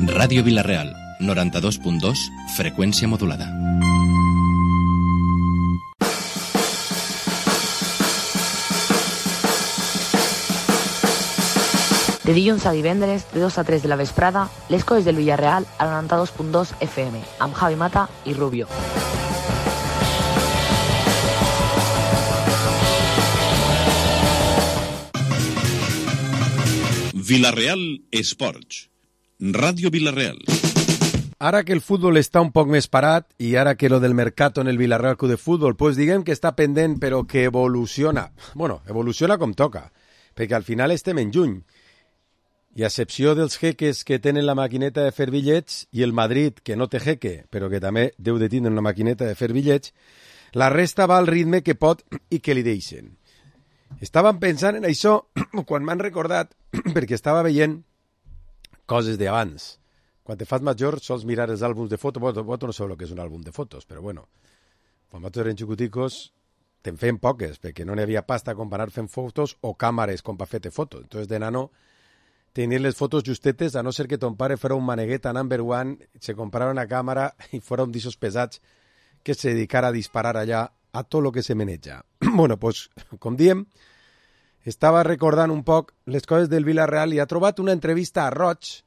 Ràdio Vila-real, 92.2, freqüència modulada. De dilluns a divendres, de 2 a 3 de la vesprada, les coses del Villarreal al 92.2 FM, amb Javi Mata i Rubio. Vila-real Esports. Ràdio Vila-real. Ara que el futbol està un poc més parat i ara que lo del mercato en el Villarreal Club de Futbol, pues diguem que està pendent però que evoluciona. Bueno, evoluciona com toca, perquè al final estem en juny. I a excepció dels jeques que tenen la maquineta de fer bitllets i el Madrid, que no té jeque, però que també deu de tindre una maquineta de fer bitllets, la resta va al ritme que pot i que li deixen. Estàvem pensant en això quan m'han recordat, perquè estava veient coses d'abans. Quan te fas major sols mirar els àlbums de fotos. Vosaltres no sabeu el que és un àlbum de fotos, però bueno, quan nosaltres eren xicoticos te'n feien poques, perquè no n'hi havia pasta com per anar fent fotos o càmeres com per fer-te fotos. Entonces de nano tenir les fotos justetes, a no ser que ton pare fora un maneguet a number one, se comprara una càmera i fora un d'ixos pesats que se dedicara a disparar allà a tot lo que se meneja. Bueno, pues, com diem, estava recordant un poc les coses del Villarreal i ha trobat una entrevista a Roig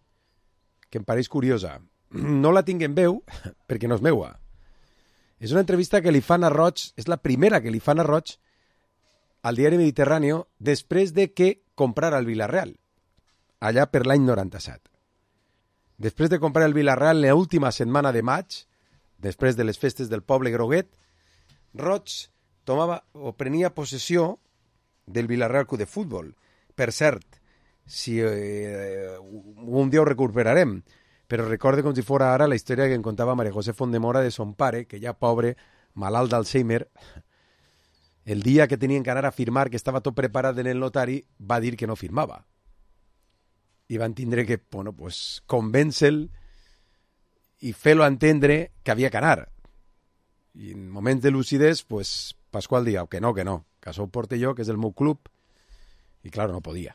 que em pareix curiosa. No la tinc en veu perquè no és meua. És una entrevista que li fan a Roig, és la primera que li fan a Roig al diari Mediterráneo després de que comprara el Villarreal, allà per l'any 97. Després de comprar el Villarreal l'última setmana de maig, després de les festes del poble groguet, Roig tomava o prenia possessió del Villarreal Club de Futbol. Per cert, si un dia ho recuperarem, però recorde com si fora ara la història que em contava María José Fondemora de son pare, que ja pobre, malalt d'Alzheimer, el dia que tenien que anar a firmar, que estava tot preparat en el notari, va dir que no firmava. I van tindre que, bueno, pues, convèncer-lo i fer-lo entendre que havia que anar. I en moments de lucidez, pues, Pasqual diu que no, que això ho porte jo, que és el meu club, i clar, no podia.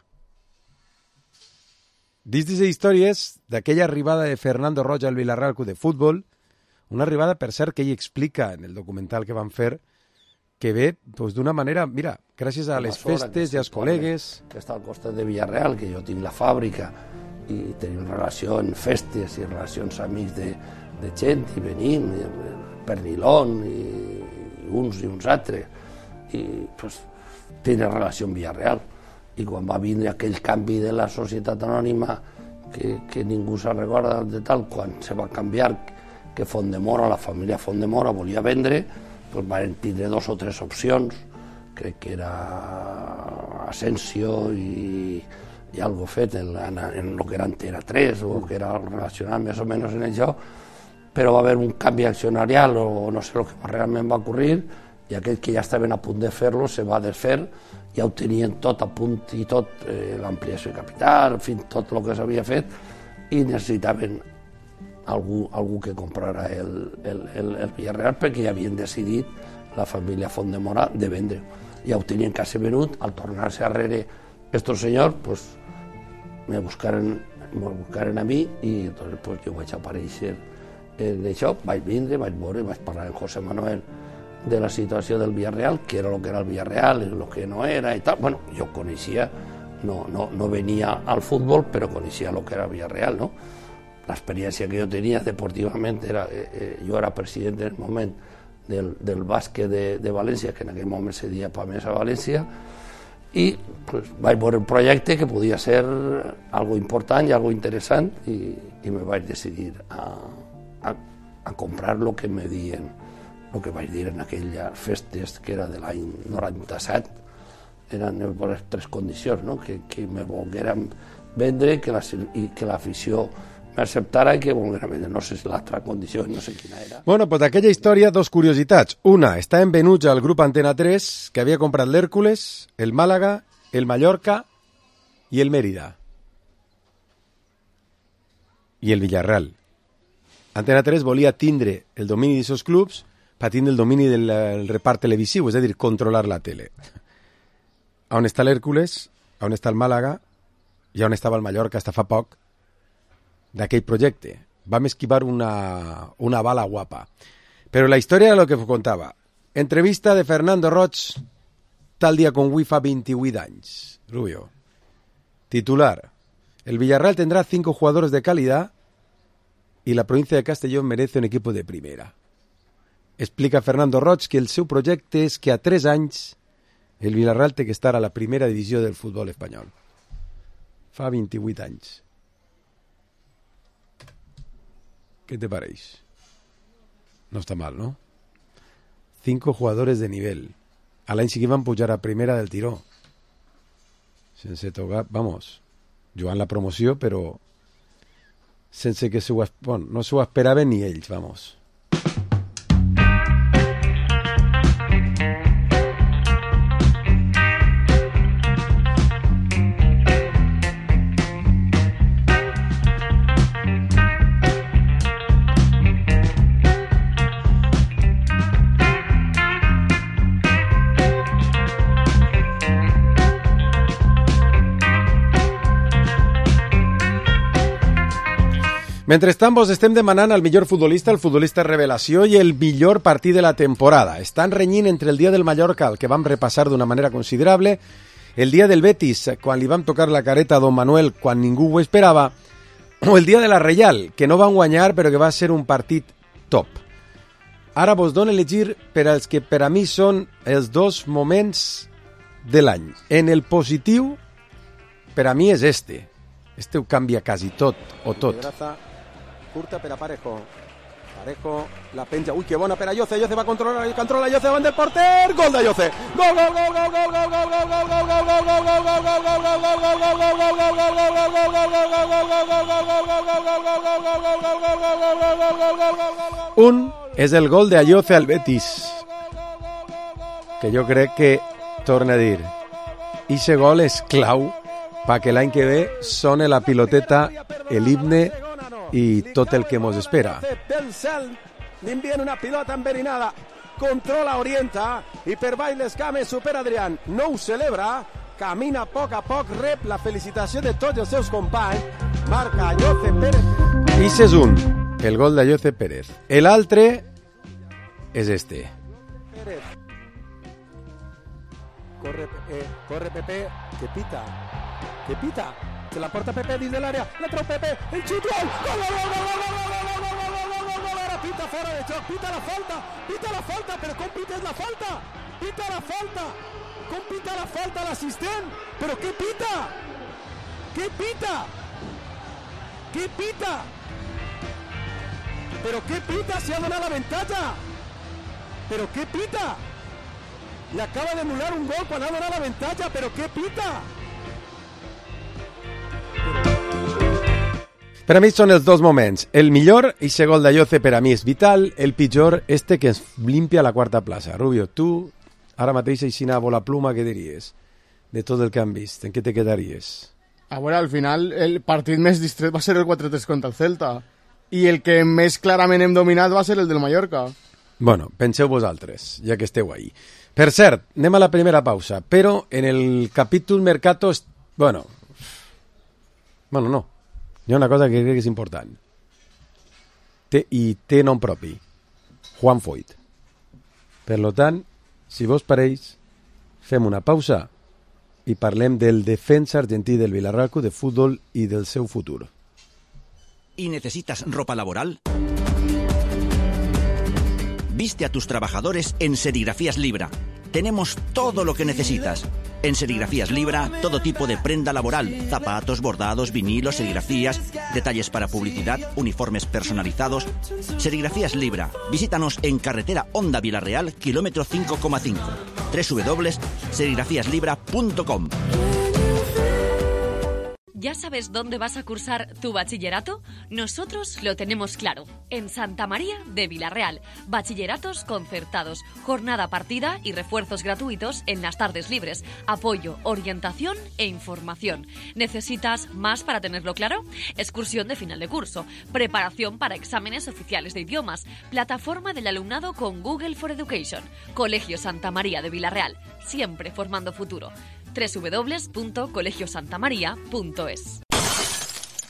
Dins d'aquestes històries d'aquella arribada de Fernando Roig al Villarreal Club de Futbol, una arribada, per cert, que ell explica en el documental que van fer, que ve pues, d'una manera, mira, gràcies a les festes i als col·legues. Que està al costat de Villarreal, que jo tinc la fàbrica i tenim relació en festes i relacions amics de gent i venim, Pernilón i uns i uns altres, i pues, tenen relació amb Villarreal. I quan va vindre aquell canvi de la societat anònima que ningú se'n recorda de tal, quan se va canviar, que Fondemora, la família Fondemora volia vendre, pues van tindre 2 o 3 opcions, crec que era Asensio i algo fet en lo que era Antena 3 o que era relacionat més o menys en això, però va haver un canvi accionarial o no sé el que realment va ocurrir i aquells que ja estaven a punt de fer-lo se va desfer, ja ho tenien tot a punt i tot, l'ampliació de capital, en fi, tot el que s'havia fet i necessitaven algú que comprara el Villarreal perquè ja havien decidit la família Fondemora de vendre. Ja ho tenien quasi venut, al tornar-se arrere estos senyors, pues, me buscaren a mi i entonces, pues, jo vaig aparèixer en això, vaig vindre, vaig veure, vaig parlar amb José Manuel de la situació del Villarreal, que era el que era el Villarreal i el que no era i tal. Bueno, jo coneixia, no venia al futbol, però coneixia el que era el Villarreal, no? L'experiència que jo tenia deportivament era, jo era president en el moment del bàsquet de València, que en aquell moment se deia Pamesa València, i pues, vaig veure un projecte que podia ser algo important i algo interessant i me vaig decidir a comprar lo que me dien, el que vaig dir en aquelles festes que era de l'any 97, eren les 3 condicions, no? Que me volgueren vendre i que l'afició m'acceptara i que volguera vendre. No sé si l'altra condició, no sé quina era. Bueno, pues d'aquella història, 2 curiositats. Una, estaven venuts al grup Antena 3, que havia comprat l'Hèrcules, el Màlaga, el Mallorca i el Mérida. I el Villarreal. Antena 3 volia tindre el domini d'aquests clubs per tindre el domini del repart televisiu, és a dir, controlar la tele. On està l'Hèrcules, on està el Màlaga i on estava el Mallorca hasta fa poc, d'aquell projecte. Vam esquivar una bala guapa. Però la història era el que us contava. Entrevista de Fernando Roig tal dia com avui fa 28 anys. Rubio. Titular. El Villarreal tendrá 5 jugadores de calidad y la provincia de Castellón merece un equipo de primera. Explica Fernando Roig que el seu projecte és que a 3 anys el Villarreal té que estar a la primera divisió del futbol espanyol. Fa 28 anys. ¿Qué te pareix? No està mal, ¿no? 5 jugadores de nivel. A l'any sí que van pujar a primera del tiró. Sense tocar, vamos, jugant la promoció, però sense que no s'ho esperaven ni ells, vamos. Mentrestant, vos estem demanant el millor futbolista, el futbolista revelació i el millor partit de la temporada. Estan renyint entre el dia del Mallorca, el que vam repassar d'una manera considerable, el dia del Betis, quan li vam tocar la careta a Don Manuel quan ningú ho esperava, o el dia de la Reial, que no van guanyar però que va ser un partit top. Ara vos dono a elegir per als que per a mi són els 2 moments de l'any. En el positiu, per a mi és este. Este ho canvia quasi tot, o tot. Curta per a Parejo. Parejo la penja. Ui, que bona per a Yoce. Yoce va controlar, controla Yoce davant del porter. Gol de Yoce. Gol, gol, gol, gol, gol, gol, gol, gol, gol, gol, gol, gol, gol, gol, gol, gol. Un és el gol de Ayoce al Betis, que jo crec que, torna a dir, ixe gol és clau perquè l'any que ve sone la piloteta, el himne i tot el que mos espera. Pel cel li envien una pilota enverinada, controla, orienta i per baix les cames supera Adrián, no ho celebra, camina a poc, rep la felicitació de tots els seus companys, marca Ayoce Pérez. I és un, el gol d'Ayoce Pérez. L'altre és este. Pérez. Corre Pepe, que pita. Se la porta Pepe dins de l'àrea, la treu Pepe, el xut, gol! Ara pita fora de joc, pita la falta, però com pites la falta? Pita la falta! Com pita la falta l'assistent? Però què pita? Què pita? Però què pita si ha donat l'avantatge? Però què pita? Le acaba d'anular un gol quan ha donat l'avantatge, però què pita? Per a mi són els 2 moments. El millor, eixe gol d'Ayoce, per a mi és vital. El pitjor, este que ens limpia la 4ª plaça. Rubio, tu, ara mateix, aixina a la pluma, què diries? De tot el que han vist, en què te quedaries? A veure, al final, el partit més distret va ser el 4-3 contra el Celta. I el que més clarament hem dominat va ser el del Mallorca. Bueno, penseu vosaltres, ja que esteu ahí. Per cert, anem a la primera pausa, però en el capítol Mercato... Bueno, no. Hi ha una cosa que crec que és important. Té nom propi. Juan Foyt. Per tant, si vos pareix, fem una pausa i parlem del defensa argentí del Villarreal de fútbol y del seu futur. ¿Y necesitas ropa laboral? Viste a tus trabajadores en Serigrafías Libra. Tenemos todo lo que necesitas. En Serigrafías Libra, todo tipo de prenda laboral, zapatos, bordados, vinilos, serigrafías, detalles para publicidad, uniformes personalizados. Serigrafías Libra. Visítanos en carretera Honda Villarreal, kilómetro 5,5. www.serigrafíaslibra.com. ¿Ya sabes dónde vas a cursar tu bachillerato? Nosotros lo tenemos claro. En Santa María de Villarreal. Bachilleratos concertados, jornada partida y refuerzos gratuitos en las tardes libres. Apoyo, orientación e información. ¿Necesitas más para tenerlo claro? Excursión de final de curso. Preparación para exámenes oficiales de idiomas. Plataforma del alumnado con Google for Education. Colegio Santa María de Villarreal. Siempre formando futuro. www.colegiosantamaria.es.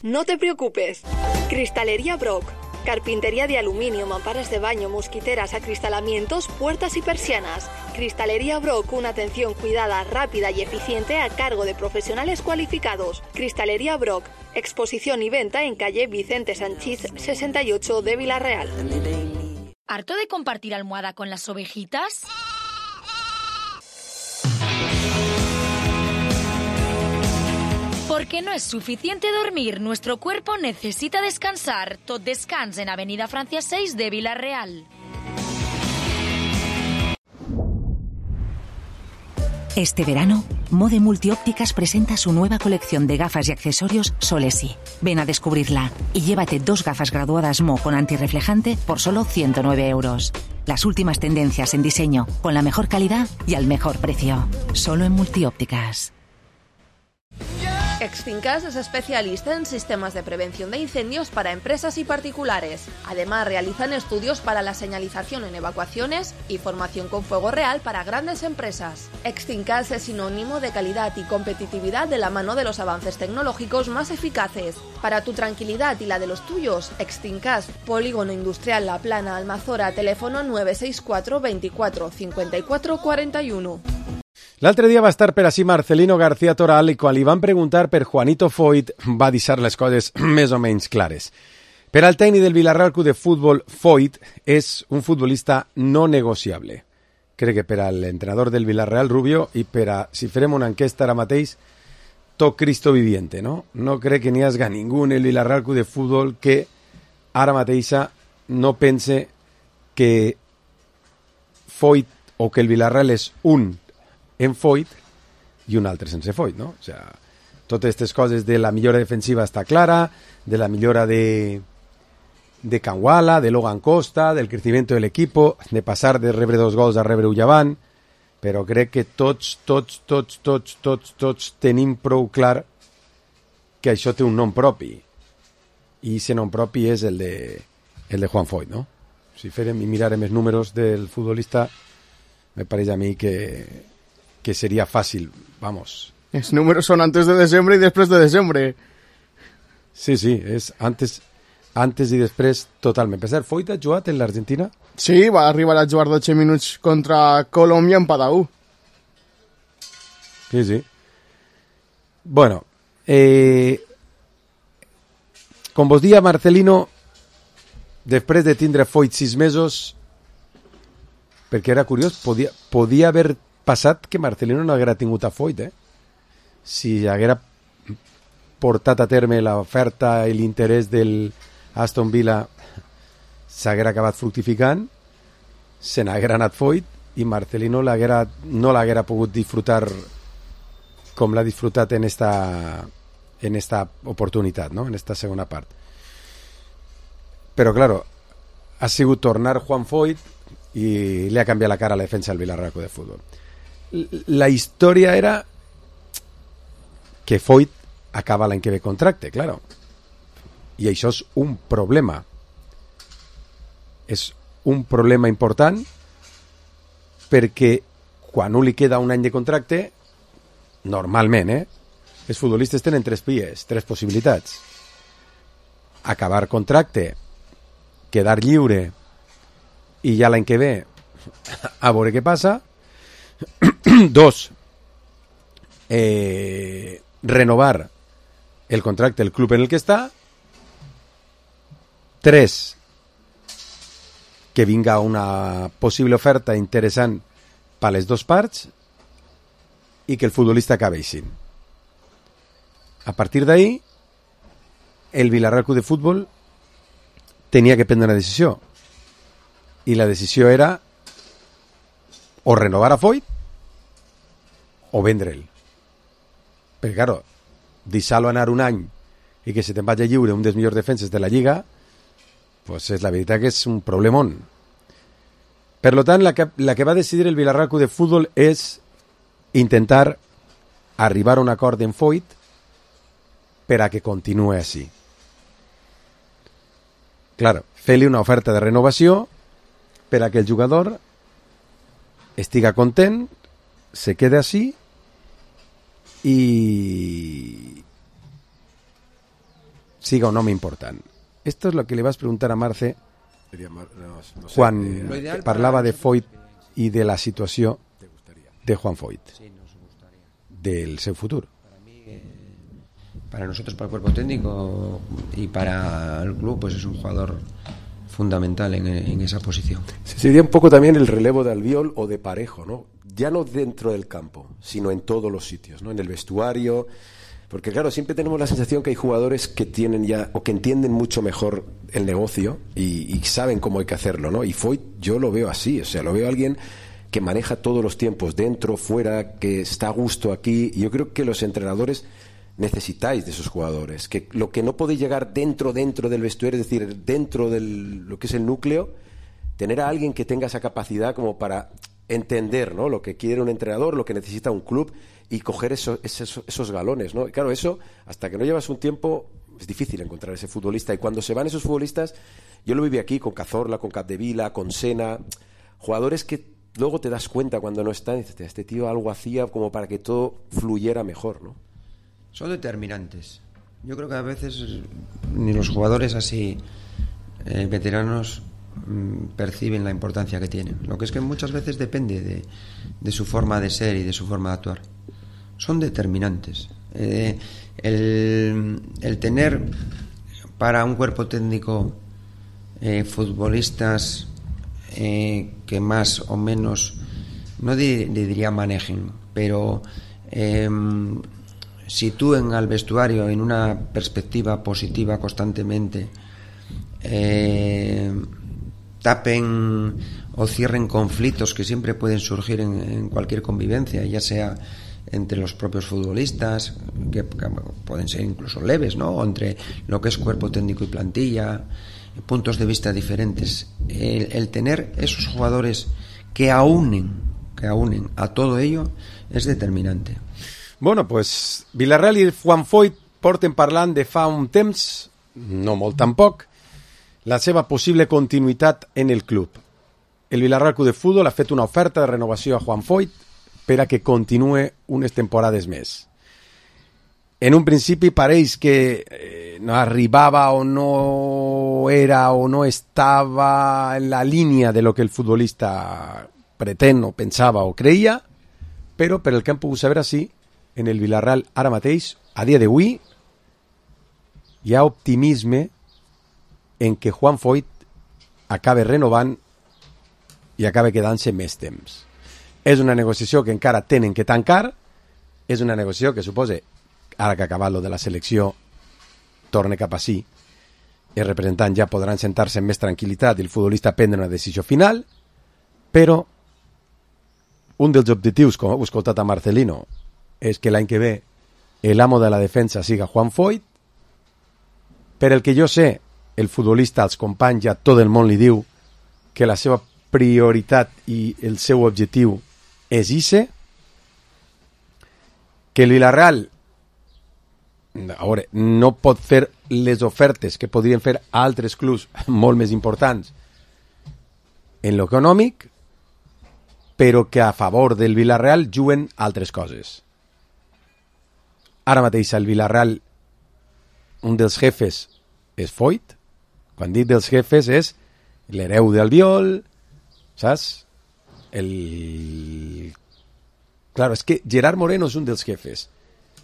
No te preocupes. Cristalería Brock. Carpintería de aluminio, mamparas de baño, mosquiteras, acristalamientos, puertas y persianas. Cristalería Brock, una atención cuidada, rápida y eficiente a cargo de profesionales cualificados. Cristalería Brock, exposición y venta en calle Vicente Sanchís 68 de Vila-real. ¿Harto de compartir almohada con las ovejitas? Porque no es suficiente dormir, nuestro cuerpo necesita descansar. Tot Descans en Avenida Francia 6 de Vila-real. Este verano, Mode Multiópticas presenta su nueva colección de gafas y accesorios Solesi. Ven a descubrirla y llévate 2 gafas graduadas Mo con antirreflejante por solo 109 euros. Las últimas tendencias en diseño, con la mejor calidad y al mejor precio. Solo en Multiópticas. Extincas es especialista en sistemas de prevención de incendios para empresas y particulares. Además, realizan estudios para la señalización en evacuaciones y formación con fuego real para grandes empresas. Extincas es sinónimo de calidad y competitividad de la mano de los avances tecnológicos más eficaces. Para tu tranquilidad y la de los tuyos, Extincas, Polígono Industrial La Plana, Almazora, teléfono 964 24 54 41. L'altre dia va estar per ací Marcelino García Toral i quan li van preguntar per Juanito Foyt va deixar les coses més o menys clares. Per al tècnic del Villarreal Club de Futbol, Foyt és un futbolista no negociable. Crec que per a l'entrenador del Villarreal, Rubio, i per a, si farem una enquesta ara mateix, tot Cristo viviente, no? No crec que n'hi hagi ningú en el Villarreal Club de Futbol que ara mateixa no pense que Foyt o que el Villarreal és un en Foyt i un altre sense Foyt, no? O sea, totes aquestes coses de la millora defensiva està clara, de la millora de Canguala, de Logan Costa, del crecimiento del equipo, de passar de rebre 2 gols a rebre un llevant, però crec que tots tenim prou clar que això té un nom propi, i aquest nom propi és el de Juan Foyt, no? Si farem i mirarem els números del futbolista, me pareix a mi que sería fácil, vamos. Los números son antes de diciembre y después de diciembre. Sí, es antes y després totalment. Per cert, Foyt ha jugat en l'Argentina? Sí, va arribar a jugar 12 minuts contra Colòmbia en Palau. Sí. Bueno, com vos dia, Marcelino, després de tindre Foyt 6 mesos, perquè era curiós, podia haver passat que Marcelino no haguera tingut a Foyt, si haguera portat a terme l'oferta i l'interès del Aston Villa s'haguera acabat fructificant, se n'haguera anat Foyt i Marcelino no l'haguera pogut disfrutar com l'ha disfrutat en esta oportunitat, no? En esta segona part. Però, claro, ha sigut tornar Juan Foyt i li ha canviat la cara a la defensa del Villarreal Club de Futbol. La història era que Foyt acaba l'any que ve contracte, claro. I això és un problema. És un problema important perquè quan un li queda un any de contracte, normalment, els futbolistes tenen 3 vies, 3 possibilitats. Acabar contracte, quedar lliure i ja l'any que ve a veure què passa. 2, renovar el contracte del club en el que està. 3, que vinga una possible oferta interessant per les 2 parts i que el futbolista acabi així. A partir d'ahí, el Villarreal Club de Futbol tenia que prendre una decisió i la decisió era o renovar a Foyt o vendre'l. Perquè, claro, deixar-lo anar un any i que se te'n vagi lliure un dels millors defenses de la Lliga, pues és la veritat que és un problemón. Per tant, la que va decidir el Villarreal Club de Futbol és intentar arribar a un acord en Foyt per a que continuï així. Claro, fer-li una oferta de renovació per a que el jugador estiga content, se quede així i siga un home important. Esto es lo que le vas a preguntar a Marce quan parlava de Foyt i de la situació de Juan Foyt, del seu futur. Para nosotros, para el cuerpo técnico y para el club, pues es un jugador fundamental en esa posición. Sería un poco también el relevo de Albiol o de Parejo, ¿no? Ya no dentro del campo, sino en todos los sitios, ¿no? En el vestuario, porque claro, siempre tenemos la sensación que hay jugadores que tienen ya, o que entienden mucho mejor el negocio y saben cómo hay que hacerlo, ¿no? Y Foyt yo lo veo así, o sea, lo veo a alguien que maneja todos los tiempos, dentro, fuera, que está a gusto aquí, y yo creo que los entrenadores necesitáis de esos jugadores, que lo que no podéis llegar dentro del vestuario, es decir, dentro de lo que es el núcleo, tener a alguien que tenga esa capacidad como para entender, ¿no?, lo que quiere un entrenador, lo que necesita un club, y coger esos galones, ¿no? Y claro, eso, hasta que no llevas un tiempo, es difícil encontrar ese futbolista, y cuando se van esos futbolistas, yo lo viví aquí con Cazorla, con Capdevila, con Sena, jugadores que luego te das cuenta cuando no están, y dices, este tío algo hacía como para que todo fluyera mejor, ¿no? Son determinantes. Yo creo que a veces ni los jugadores así veteranos perciben la importancia que tienen. Lo que es que muchas veces depende de su forma de ser y de su forma de actuar. Son determinantes. El tener para un cuerpo técnico futbolistas que más o menos, no diría manejen, pero sitúen al vestuario en una perspectiva positiva constantemente, tapen o cierren conflictos que siempre pueden surgir en cualquier convivencia, ya sea entre los propios futbolistas, que pueden ser incluso leves, ¿no?, o entre lo que es cuerpo técnico y plantilla, puntos de vista diferentes. El tener esos jugadores que aúnen a todo ello es determinante. Bueno, pues Villarreal i Juan Foyt porten parlant de fa un temps, no molt tampoc, la seva possible continuïtat en el club. El Villarreal Club de Futbol ha fet una oferta de renovació a Juan Foyt per a que continuï unes temporades més. En un principi pareix que no arribava o no era o no estava en la línia de lo que el futbolista pretén o pensava o creia, però per el que hem pogut saber així, en el Villarreal ara mateix, a dia d'avui, hi ha optimisme en que Juan Foyt acabe renovant i acabe quedant-se més temps. És una negociació que encara tenen que tancar, és una negociació que suposa, ara que ha acabat lo de la selecció, torne cap així, els representants ja podran sentar-se amb més tranquil·litat i el futbolista prendre una decisió final, però un dels objectius, com heu escoltat a Marcelino, és que l'any que ve l'amo de la defensa siga Juan Foyt. Per el que jo sé, el futbolista, als companys, ja tot el món li diu que la seva prioritat i el seu objectiu és ixe, que el Villarreal a veure, no pot fer les ofertes que podrien fer altres clubs molt més importants en l'econòmic, però que a favor del Villarreal juguen altres coses. Ara mateix al Villarreal un dels jefes és Foyt. Quan dic dels jefes és l'hereu d'Albiol, saps? Claro, és que Gerard Moreno és un dels jefes,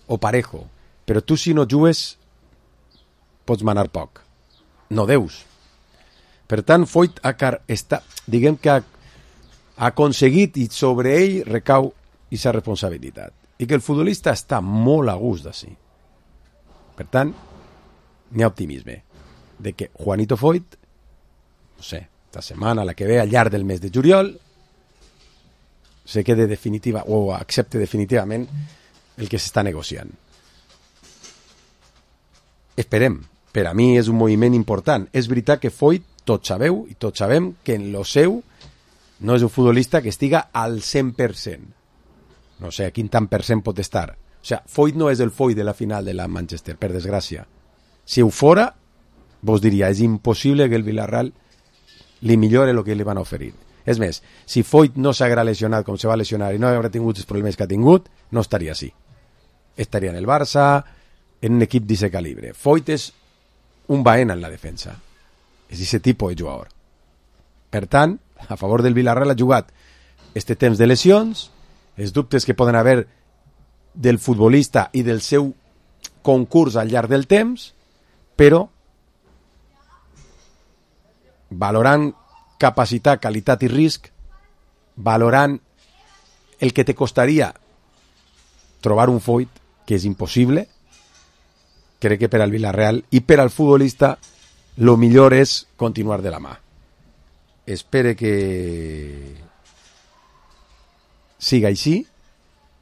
o Parejo, però tu si no jugues pots manar poc. No deus. Per tant, Foyt diguem que ha aconseguit i sobre ell recau aquesta responsabilitat. I que el futbolista està molt a gust d'ací. Per tant, n'hi ha optimisme de que Juanito Foyt, no sé, esta setmana, la que ve al llarg del mes de juliol, se quede definitiva o accepte definitivament el que s'està negociant. Esperem. Per a mi és un moviment important. És veritat que Foyt, tots sabeu i tots sabem que en lo seu no és un futbolista que estiga al 100%. No sé a quin tant per cent pot estar. O sigui, Foyt no és el Foyt de la final de la Manchester, per desgràcia. Si ho fora, vos diria, és impossible que el Villarreal li millore el que li van oferir. És més, si Foyt no s'haguera lesionat com se va lesionar i no haguera tingut els problemes que ha tingut, no estaria així. estaria en el Barça, en un equip d'aquest calibre. Foyt és un Baena en la defensa. És aquest tipus de jugador. Per tant, a favor del Villarreal ha jugat este temps de lesions, els dubtes que poden haver del futbolista i del seu concurs al llarg del temps, però valorant capacitat, qualitat i risc, valorant el que te costaria trobar un Foyt, que és impossible, crec que per al Villarreal i per al futbolista lo millor és continuar de la mà. Espere que siga així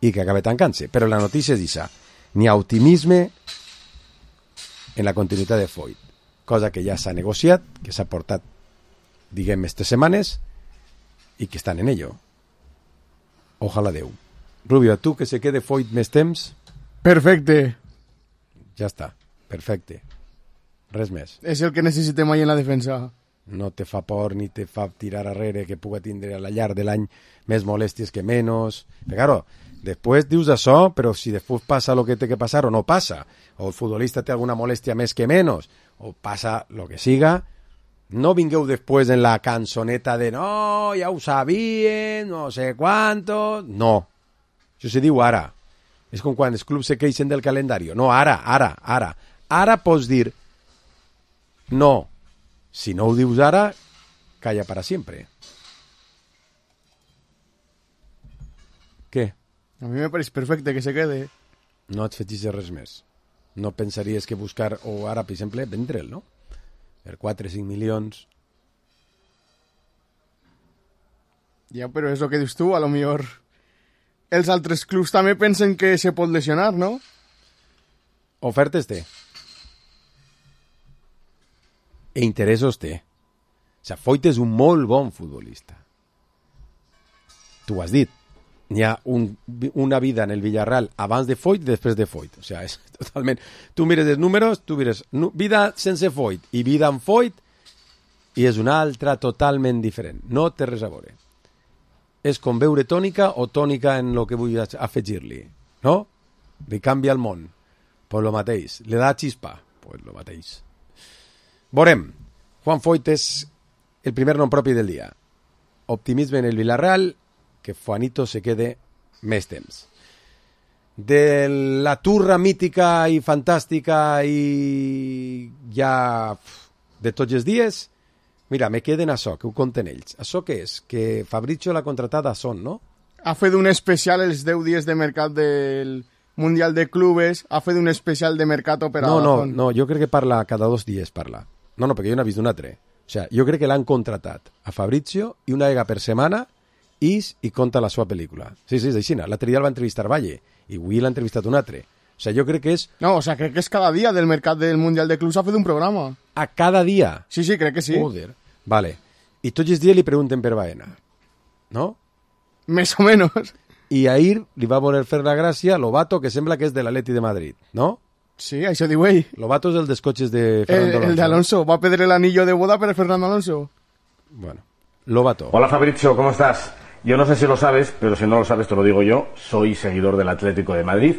i que acabe tancant-se. Però la notícia és això. N'hi ha optimisme en la continuïtat de Foyt, cosa que ja s'ha negociat, que s'ha portat, diguem, estas setmanes i que estan en ello. Ojalà Déu. Rubio, a tu que se quede Foyt més temps? Perfecte. Ja està, perfecte. Res més. És el que necessitem ahí en la defensa. No te fa por ni te fa tirar arrere que puga tindre a la llarg de l'any més molèsties que menys. Però, claro, després dius això, però si després passa el que té que passar o no passa, o el futbolista té alguna molèstia més que menys, o passa el que siga, no vingueu després en la cançoneta de no, ja ho sabien, no sé quantos... No, això se diu ara. És com quan els clubs se queixen del calendari. No, ara. Ara pots dir no. Si no ho dius ara, calla para sempre. Què? A mi me pareix perfecte que se quede. No et fetixes res més. No pensaries que buscar, o ara, per exemple, vendre'l, no? Per 4 o 5 milions. Ja, però és el que dius tu, a lo millor els altres clubs també pensen que se pot lesionar, no? Ofertes té. E interessos té. O sigui, Foyt és un molt bon futbolista. Tu ho has dit. N'hi ha una vida en el Villarreal abans de Foyt i després de Foyt. O sigui, és totalment... Tu mires els números, tu mires vida sense Foyt i vida amb Foyt i és una altra totalment diferent. No té res a veure. És com veure tònica o tònica en el que vull afegir-li. No? Li canvia el món. Pues lo mateix. Le da xispa. Pues lo mateix. Veurem. Juan Foyt és el primer nom propi del dia. Optimisme en el Villarreal, que Juanito se quede més temps. De la turra mítica i fantàstica i ja de tots els dies, mira, me queden això, que ho conten ells. Això què és? Que Fabrizio l'ha contratat a Son, no? Ha fet un especial els 10 dies de mercat del Mundial de Clubes, ha fet un especial de mercat per a Son. No, jo crec que parla cada 2 dies, parla. No, perquè jo n'he vist un altre. O sigui, jo crec que l'han contratat a Fabrizio i una vegada per setmana i conta la seva pel·lícula. Sí, és així. L'altre dia el va entrevistar Valle i avui l'ha entrevistat un altre. O sigui, jo crec que és... No, o sigui, crec que és cada dia del mercat del Mundial de Clubs ha fet un programa. A cada dia? Sí, crec que sí. Joder. Vale. I tots els dies li pregunten per Baena. No? Més o menys. I ahir li va voler fer la gràcia Lobato, que sembla que és de l'Atleti de Madrid, no? Sí, això diu ell. Lobato és el dels cotxes de Fernando Alonso. El de Alonso. Va a pedir el anillo de boda per Fernando Alonso. Bueno, Lobato. Hola Fabrizio, ¿cómo estás? Yo no sé si lo sabes, pero si no lo sabes te lo digo yo. Soy seguidor del Atlético de Madrid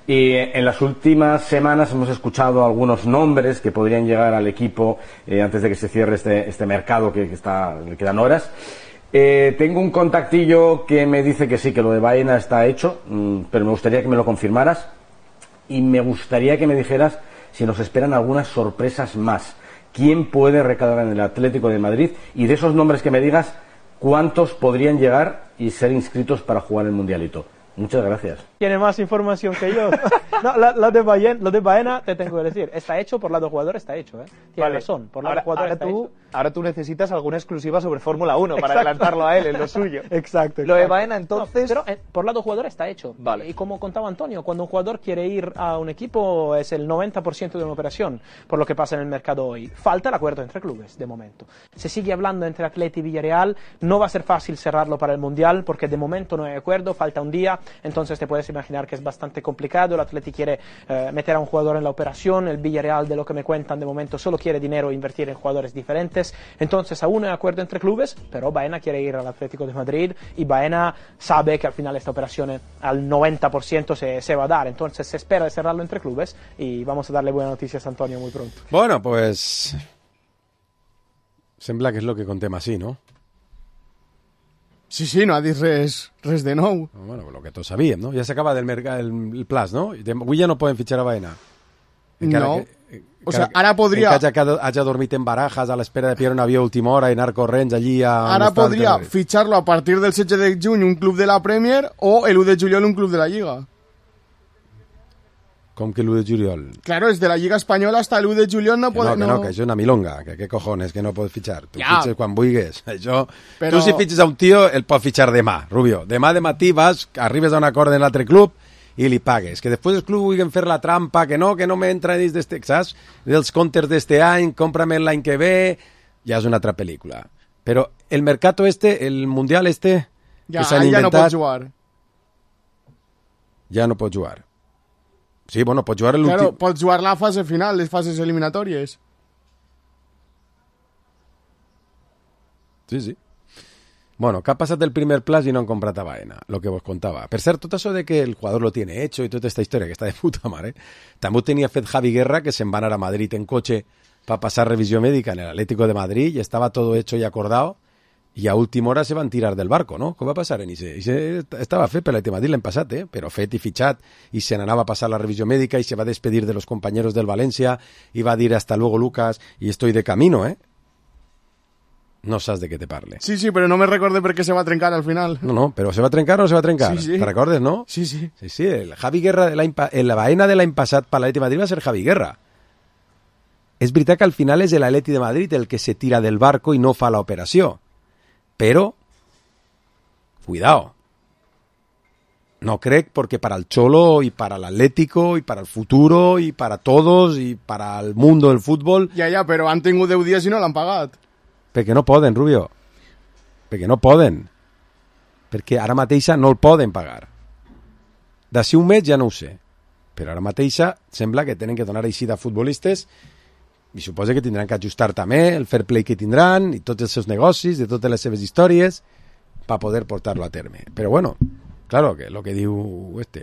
y en las últimas semanas hemos escuchado algunos nombres que podrían llegar al equipo antes de que se cierre este mercado que quedan horas. Tengo un contactillo que me dice que sí, que lo de Baena está hecho, pero me gustaría que me lo confirmaras y me gustaría que me dijeras si nos esperan algunas sorpresas más. ¿Quién puede recalar en el Atlético de Madrid? Y de esos nombres que me digas, ¿cuántos podrían llegar y ser inscritos para jugar el Mundialito? Muchas gracias. Tiene más información que yo. No, lo de Baena, te tengo que decir, está hecho, por lado jugador está hecho, ¿eh? Tiene razón, por lado jugador está hecho. Ahora tú necesitas alguna exclusiva sobre Fórmula 1 para adelantarlo a él en lo suyo. Exacto. Lo de Baena, entonces... No, pero por lado jugador está hecho. Vale. Y como contaba Antonio, cuando un jugador quiere ir a un equipo es el 90% de una operación, por lo que pasa en el mercado hoy. Falta el acuerdo entre clubes, de momento. Se sigue hablando entre Atleti y Villarreal, no va a ser fácil cerrarlo para el Mundial, porque de momento no hay acuerdo, falta un día. entonces te puedes imaginar que es bastante complicado. El Atleti quiere meter a un jugador en la operación, el Villarreal, de lo que me cuentan de momento, solo quiere dinero e invertir en jugadores diferentes, entonces aún no hay acuerdo entre clubes, pero Baena quiere ir al Atlético de Madrid y Baena sabe que al final esta operación al 90% se va a dar, entonces se espera de cerrarlo entre clubes y vamos a darle buenas noticias a Antonio muy pronto. Bueno, pues sembla que és el que contem així, no? Sí, no ha dit res de nou. Bueno, lo que tots sabíem, no? Ja s'acaba el plaç, no? Avui ja no poden fitxar a Baena. No. O sea, ara podria... Encara hagi dormit en barajas a l'espera de pillar un avió a última hora i anar corrents allí a... Ara podria fitxar-lo a partir del 16 de juny un club de la Premier o el 1 de juliol un club de la Lliga. Com que el 1 de juliol? Claro, es de la Lliga Espanyola hasta el 1 de juliol no pot... No, que això és una milonga, que què cojones, que no pots fitxar. Tu fitxes quan vulguis. Això... Però... Tu si fitxes a un tio, el pots fitxar demà, Rubio. Demà de matí vas, arribes a un acord en l'altre club i li pagues. Que després els clubs vulguin fer la trampa, que no m'entra dins d'este, saps? Dels comptes d'este any, cómprame l'any que ve... Ja és una altra pel·lícula. Però el mercato el mundial que s'han inventat... Ja no pots jugar. Ja no pots jugar. Sí, bueno, pots jugar l'últim... Claro, pots jugar la fase final, les fases eliminatòries. Sí. Bueno, que ha passat el primer plaç i no han comprat a Baena, lo que vos contava. Per cert, tot això de que el jugador lo tiene hecho i tota esta història que està de puta mare, també ho tenia fet Javi Guerra, que se'n va anar a Madrid en cotxe para passar revisió mèdica en el Atlético de Madrid i estava todo hecho y acordado i a última hora se van tirar del barco, no? Com va passar en Ise? Ise estava fet per l'Atlético de Madrid l'any passat, però fet i fitxat, i se n'anava a passar la revisió mèdica i se va despedir de los compañeros del Valencia i va dir hasta luego Lucas y estoy de camino, No saps de què te parle. Sí, però no me recordé per què se va trencar al final. No, però se va trencar o no se va trencar? Sí. Te recordes, no? Sí. Sí, el Javi Guerra, la Baena de l'any passat per l'Atlético de Madrid va ser Javi Guerra. És veritat que al final és l'Atleti de Madrid el que se tira del barco i no fa l'operació. Però, cuidado. No crec porque para el Cholo y para el Atlético y para el futuro y para todos y para el mundo del fútbol... Ja, però han tingut 10 dies i no l'han pagat. Perquè no poden, Rubio. Perquè no poden. Perquè ara mateixa no el poden pagar. D'ací un mes ja no ho sé. Però ara mateixa sembla que tenen que donar eixida a futbolistes i suposa que tindran que ajustar també el fair play que tindran i tots els seus negocis, de totes les seves històries per poder portar-lo a terme. Però bueno, claro, que lo que diu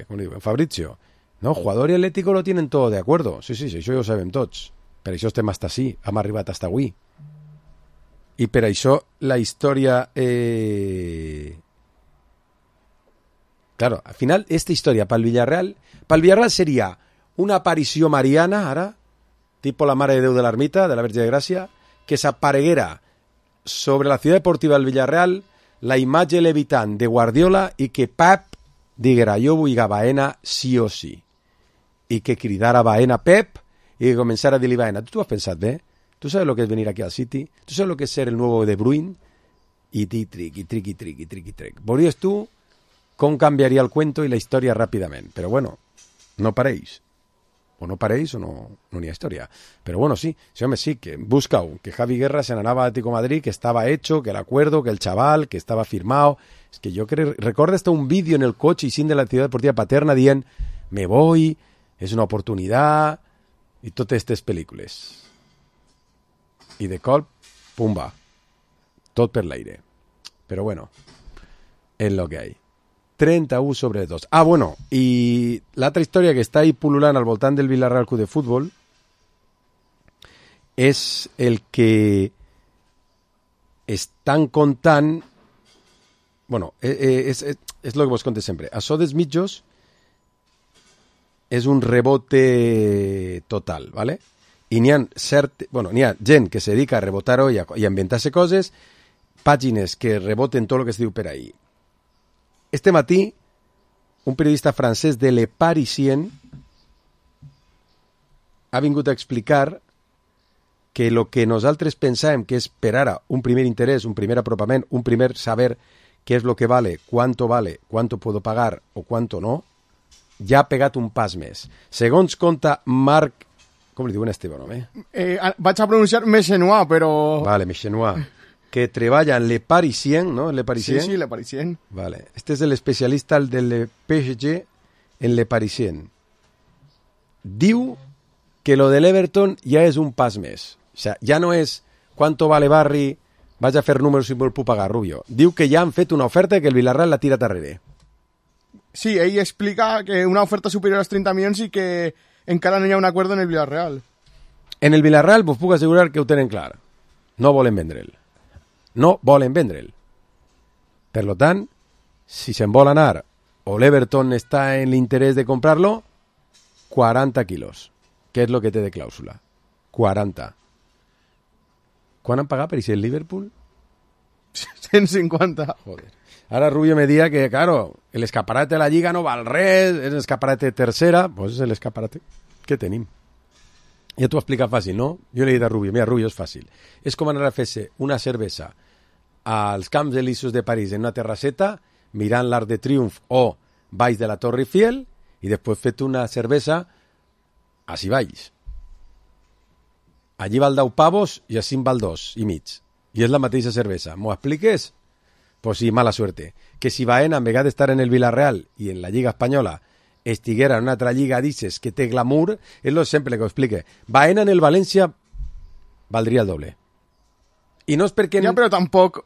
com diu, Fabrizio, no, jugador y Atlético lo tienen todo de acuerdo. Sí, això ja ho sabem tots. Per això estem hasta així, hem arribat hasta avui. I per això la història... Claro, al final, esta història pel Villarreal seria una aparició mariana, ara, tipo la Mare de Déu de l'Ermita, de la Verge de Gràcia, que s'apareguera sobre la ciutat deportiva del Villarreal la imatge levitant de Guardiola i que Pep diguera, jo vull a Baena sí o sí. I que cridara Baena Pep i que començara a dir-li Baena. Tu has pensat bé? ¿Tú sabes lo que es venir aquí al City? ¿Tú sabes lo que es ser el nuevo De Bruyne? Y tric. Veuries tu com canviaria el cuento i la història ràpidament. Però bueno, no pareix. O no pareix o no n'hi ha història. Però bueno, sí, home, sí, que busca-ho, que Javi Guerra se n'anava a Atlético de Madrid, que estaba hecho, que el acuerdo, que el chaval, que estaba firmado. Es que yo creo, recuerdo hasta un vídeo en el coche y sin de la ciudad deportiva Paterna dient, me voy, es una oportunidad, i totes aquestes pel·lícules. I de cop, pumba, tot per l'aire. Però bueno, és lo que hay. 31/2. Ah, bueno, i l'altra història que està ahí pul·lulant al voltant del Villarreal Club de Futbol és el que estan contant... Bueno, és el que vos conté sempre. Això dels mitjos és un rebote total, ¿vale? I n'hi ha gent que se dedica a rebotar-ho i a inventar-se coses, pàgines que reboten tot el que es diu per ahí. Este matí, un periodista francès de Le Parisien ha vingut a explicar que el que nosaltres pensàvem que és per ara un primer interès, un primer apropament, un primer saber què és lo que vale, cuánto puedo pagar o cuánto no, ja ha pegat un pas més. Segons conta Marc... Com li diuen a este bon home? Vaig a pronunciar Mechenois, però... Vale, Mechenois. que treballa en Le Parisien, ¿no? Le Parisien. Sí, Le Parisien. Vale. Este es el especialista del PSG en Le Parisien. Diu que lo del Everton ja és un pas més. O sea, ja no és cuánto vale Barry, vaig a fer números si vol puc pagar, Rubio. Diu que ja han fet una oferta que el Villarreal la tira darrere. Sí, ell explica que una oferta superior als 30 milions i que encara no hi ha un acord en el Villarreal. En el Villarreal vos puc assegurar que ho tenen clar. No volen vendre'l. No volen vendre'l. Per lo tant, si se'n vol anar o l'Everton està en l'interès de comprar-lo, 40 quilos, que és lo que té de clàusula. 40. ¿Quan han pagat per ese el Liverpool? 150. Joder. Ahora Rubio me diga que, claro, el escaparate de la Lliga no val res, és l'escaparate tercera, pues és l'escaparate que tenim. Ja t'ho explica fàcil, no? Jo li he dit a Rubio, mira, Rubio, és fàcil. És com anar a fer-se una cervesa als Camps Elíseos de París en una terrasseta, mirant l'Arc de Triomf o baix de la Torre Eiffel, i després fet una cervesa així baix. Allí val 10 pavos i així val 2 i mig. I és la mateixa cervesa. M'ho expliques? Pues sí, mala suerte. Que si Baena, en vegada d'estar en el Villarreal i en la Lliga Espanyola, estiguera en una altra lliga dices que té glamour, és lo sempre que ho explique. Baena en el València valdria el doble. I no és perquè... Ja, però tampoc...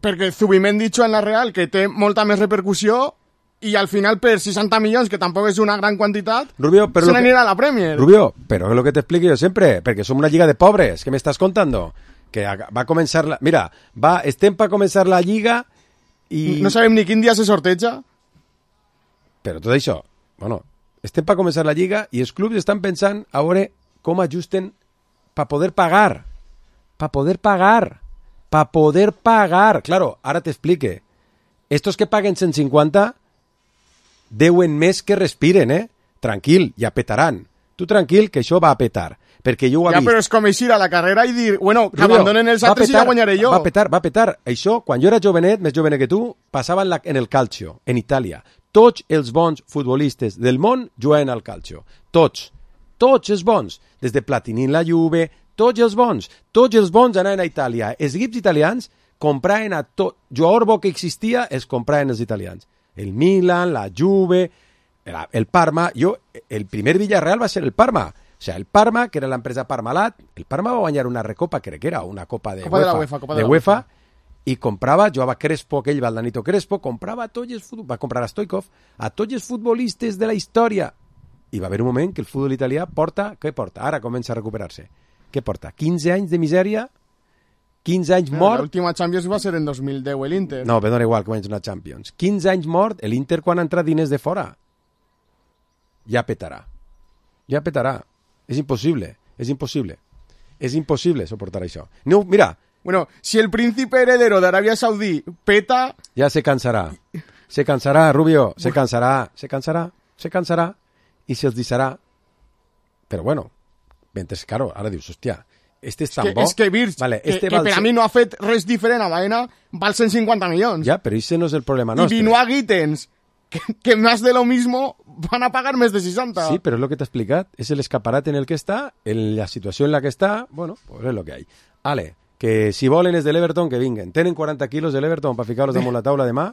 Perquè Zubimendi dicho en la Real, que té molta més repercussió, i al final per 60 milions, que tampoc és una gran quantitat, Rubio, se n'anirà a la Premier. Rubio, però és lo que t'explico jo sempre, perquè som una lliga de pobres, què m'estàs contando? Que va a començar la... Mira, estem per començar la lliga i... No sabem ni quin dia se sorteja. Però tot això, bueno, estem per començar la lliga i els clubs estan pensant a veure com ajusten per poder pagar. Per poder pagar. Per poder pagar. Claro, ara t'explique. Estos que paguen 150 deuen més que respiren, Tranquil, ja petaran. Tu tranquil, que això va a petar. Perquè jo ho he vist. Però és com eixir a la carrera i dir, bueno, que Rubio, abandonen els altres i ja guanyaré jo. Va a petar. Això, quan jo era jovenet, més jovenet que tu, passava en el calcio, en Itàlia. Tots els bons futbolistes del món juguen al calcio. Tots els bons. Des de Platini en la Juve, tots els bons anaven a Itàlia. Els equips italians compraven a tot. Jugador bo que existia, els compraven els italians. El Milan, la Juve, el Parma. El primer Villarreal va ser el Parma. O sea, el Parma, que era l'empresa Parmalat, el Parma va guanyar una recopa, crec que era, una copa de UEFA, i comprava, jugava Crespo, aquell Valdanito Crespo, comprava a tots els va comprar a Stoikov, a tots els futbolistes de la història. I va haver un moment que el futbol italià què porta? Ara comença a recuperar-se. Què porta? 15 anys de misèria, 15 anys mort... L'última Champions va ser en 2010, l'Inter. No, però dona igual que guanyes una Champions. 15 anys mort, l'Inter quan ha entrat diners de fora. Ja petarà. És impossible. És impossible soportar això. No, mira... Bueno, si el príncipe heredero de Arabia Saudí peta... Ja se cansarà. Se cansarà, Rubio. Se cansarà. I se'ls deixarà. Però bueno, mentre, claro, ara dius, hòstia, este és tan bo... És que Virch, vale, que per a mi no ha fet res diferent a Baena, val 150 milions. Ja, però això no és el problema nostre. I Benoit Gittens, que más de lo mismo van a pagar més de 60. Sí, però és lo que t'he explicat. És el escaparat en el que està, en la situació en la que està, bueno, pues és lo que hay. Ale, que si volen és de l'Everton, que vinguen. Tenen 40 quilos de l'Everton per ficar-los damunt la taula demà?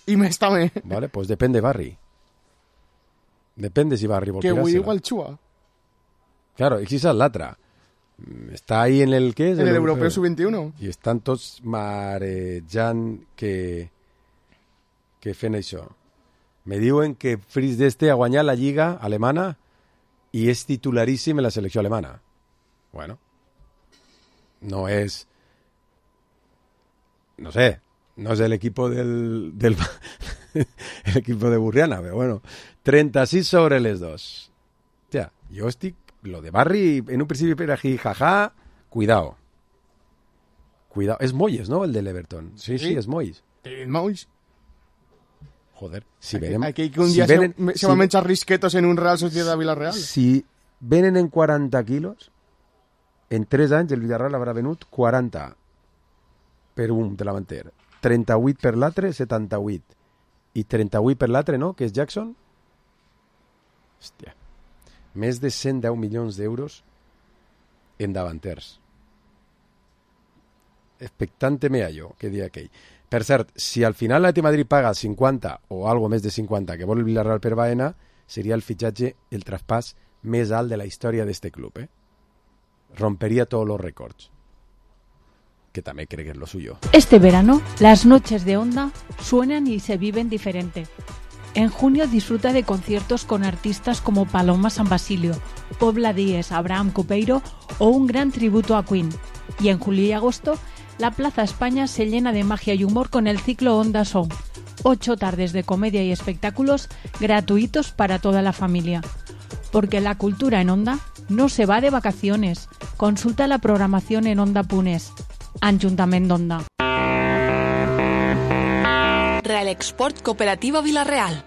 I més també. Vale, pues depèn de Barry. Depèn de si Barry vol tirar-se-la. Que avui igual xua. Claro, i si és l'altre. Està ahí en el què és? En l'Europeu Sub-21. I estan tots marejant que fent això. Me diuen que Fritz d'Este ha guanyat la Lliga alemana i és titularíssim en la selecció alemana. Bueno, no és... No sé, no és l'equip del el equipo de Burriana, però bueno, 36 sobre les dos. Hòstia, jo estic... Lo de Barry, en un principi per aquí, jaja, cuidao. És Moyes, ¿no? El del Everton. Sí, és Moyes. Moyes. Joder, si venen... Aquí que un dia se va a menjar risquetos en un Real Sociedad Villarreal. Si venen en 40 quilos, en 3 anys el Villarreal haurà venut 40 per un davanter, 38 per l'altre, 78. I 38 per l'altre, no?, que és Jackson. Hòstia. Més de 110 milions d'euros en davanters. expectante me hallo, que dia aquell. Per cert, si al final l'Atlètic Madrid paga 50 o algo més de 50 que vol el Villarreal per Baena, seria el fitxatge, el traspàs més alt de la història d'este club, Rompería todos los récords. Que también cree que es lo suyo. Este verano, las noches de Onda suenan y se viven diferente. En junio disfruta de conciertos con artistas como Paloma San Basilio, Pobla Díez, Abraham Cupeiro o un gran tributo a Queen. Y en julio y agosto, la Plaza España se llena de magia y humor con el ciclo Onda Song. 8 tardes de comedia y espectáculos gratuitos para toda la familia. Porque la cultura en Onda no se va de vacaciones. Consulta la programación en Onda.es. Ajuntament d'Onda. Real Export Cooperativa Vilarreal.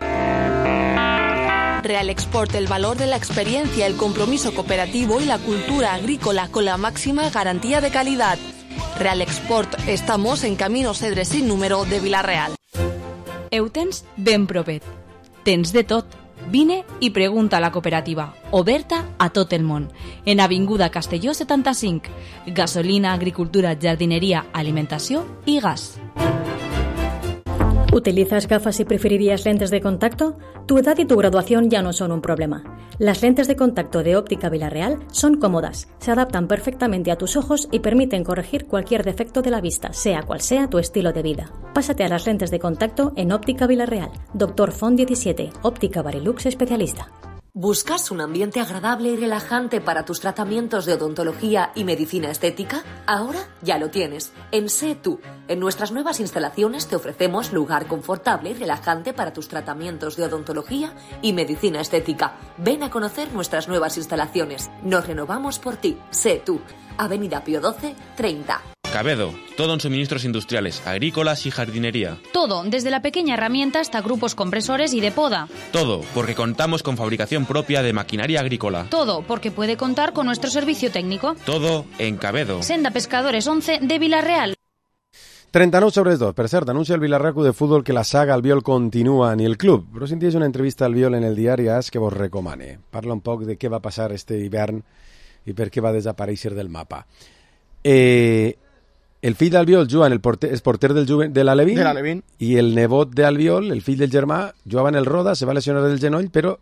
Real Export, el valor de la experiencia, el compromiso cooperativo y la cultura agrícola con la máxima garantía de calidad. Real Export, estamos en Camino Cedre sin número de Vilarreal. Eutens ben propet. Tens de tot. Vine i pregunta a la cooperativa, oberta a tot el món. En Avinguda Castelló 75. Gasolina, agricultura, jardinería, alimentació i gas. ¿Utilizas gafas y preferirías lentes de contacto? Tu edad y tu graduación ya no son un problema. Las lentes de contacto de Óptica Vilarreal son cómodas, se adaptan perfectamente a tus ojos y permiten corregir cualquier defecto de la vista, sea cual sea tu estilo de vida. Pásate a las lentes de contacto en Óptica Vilarreal. Dr. Font 17, Óptica Barilux especialista. ¿Buscas un ambiente agradable y relajante para tus tratamientos de odontología y medicina estética? Ahora ya lo tienes. En Sé Tú. En nuestras nuevas instalaciones te ofrecemos lugar confortable y relajante para tus tratamientos de odontología y medicina estética. Ven a conocer nuestras nuevas instalaciones. Nos renovamos por ti. Sé Tú. Avenida Pío XII, 30. Cabedo, todo en suministros industriales, agrícolas y jardinería. Todo, desde la pequeña herramienta hasta grupos compresores y de poda. Todo, porque contamos con fabricación propia de maquinaria agrícola. Todo, porque puede contar con nuestro servicio técnico. Todo en Cabedo. Senda Pescadores 11 de Vilarreal. 39/2. Per cert, anuncia el Villarreal Club de Fútbol que la saga Albiol continua ni el club. Però senties una entrevista al Albiol en el diari AS que vos recomane. Parla un poc de què va passar este hivern i per què va desaparèixer del mapa. El fill d'Albiol juga en és porter de l'Alevín, i el nebot d'Albiol, el fill del germà, jugava en el Roda, se va lesionar del genoll, però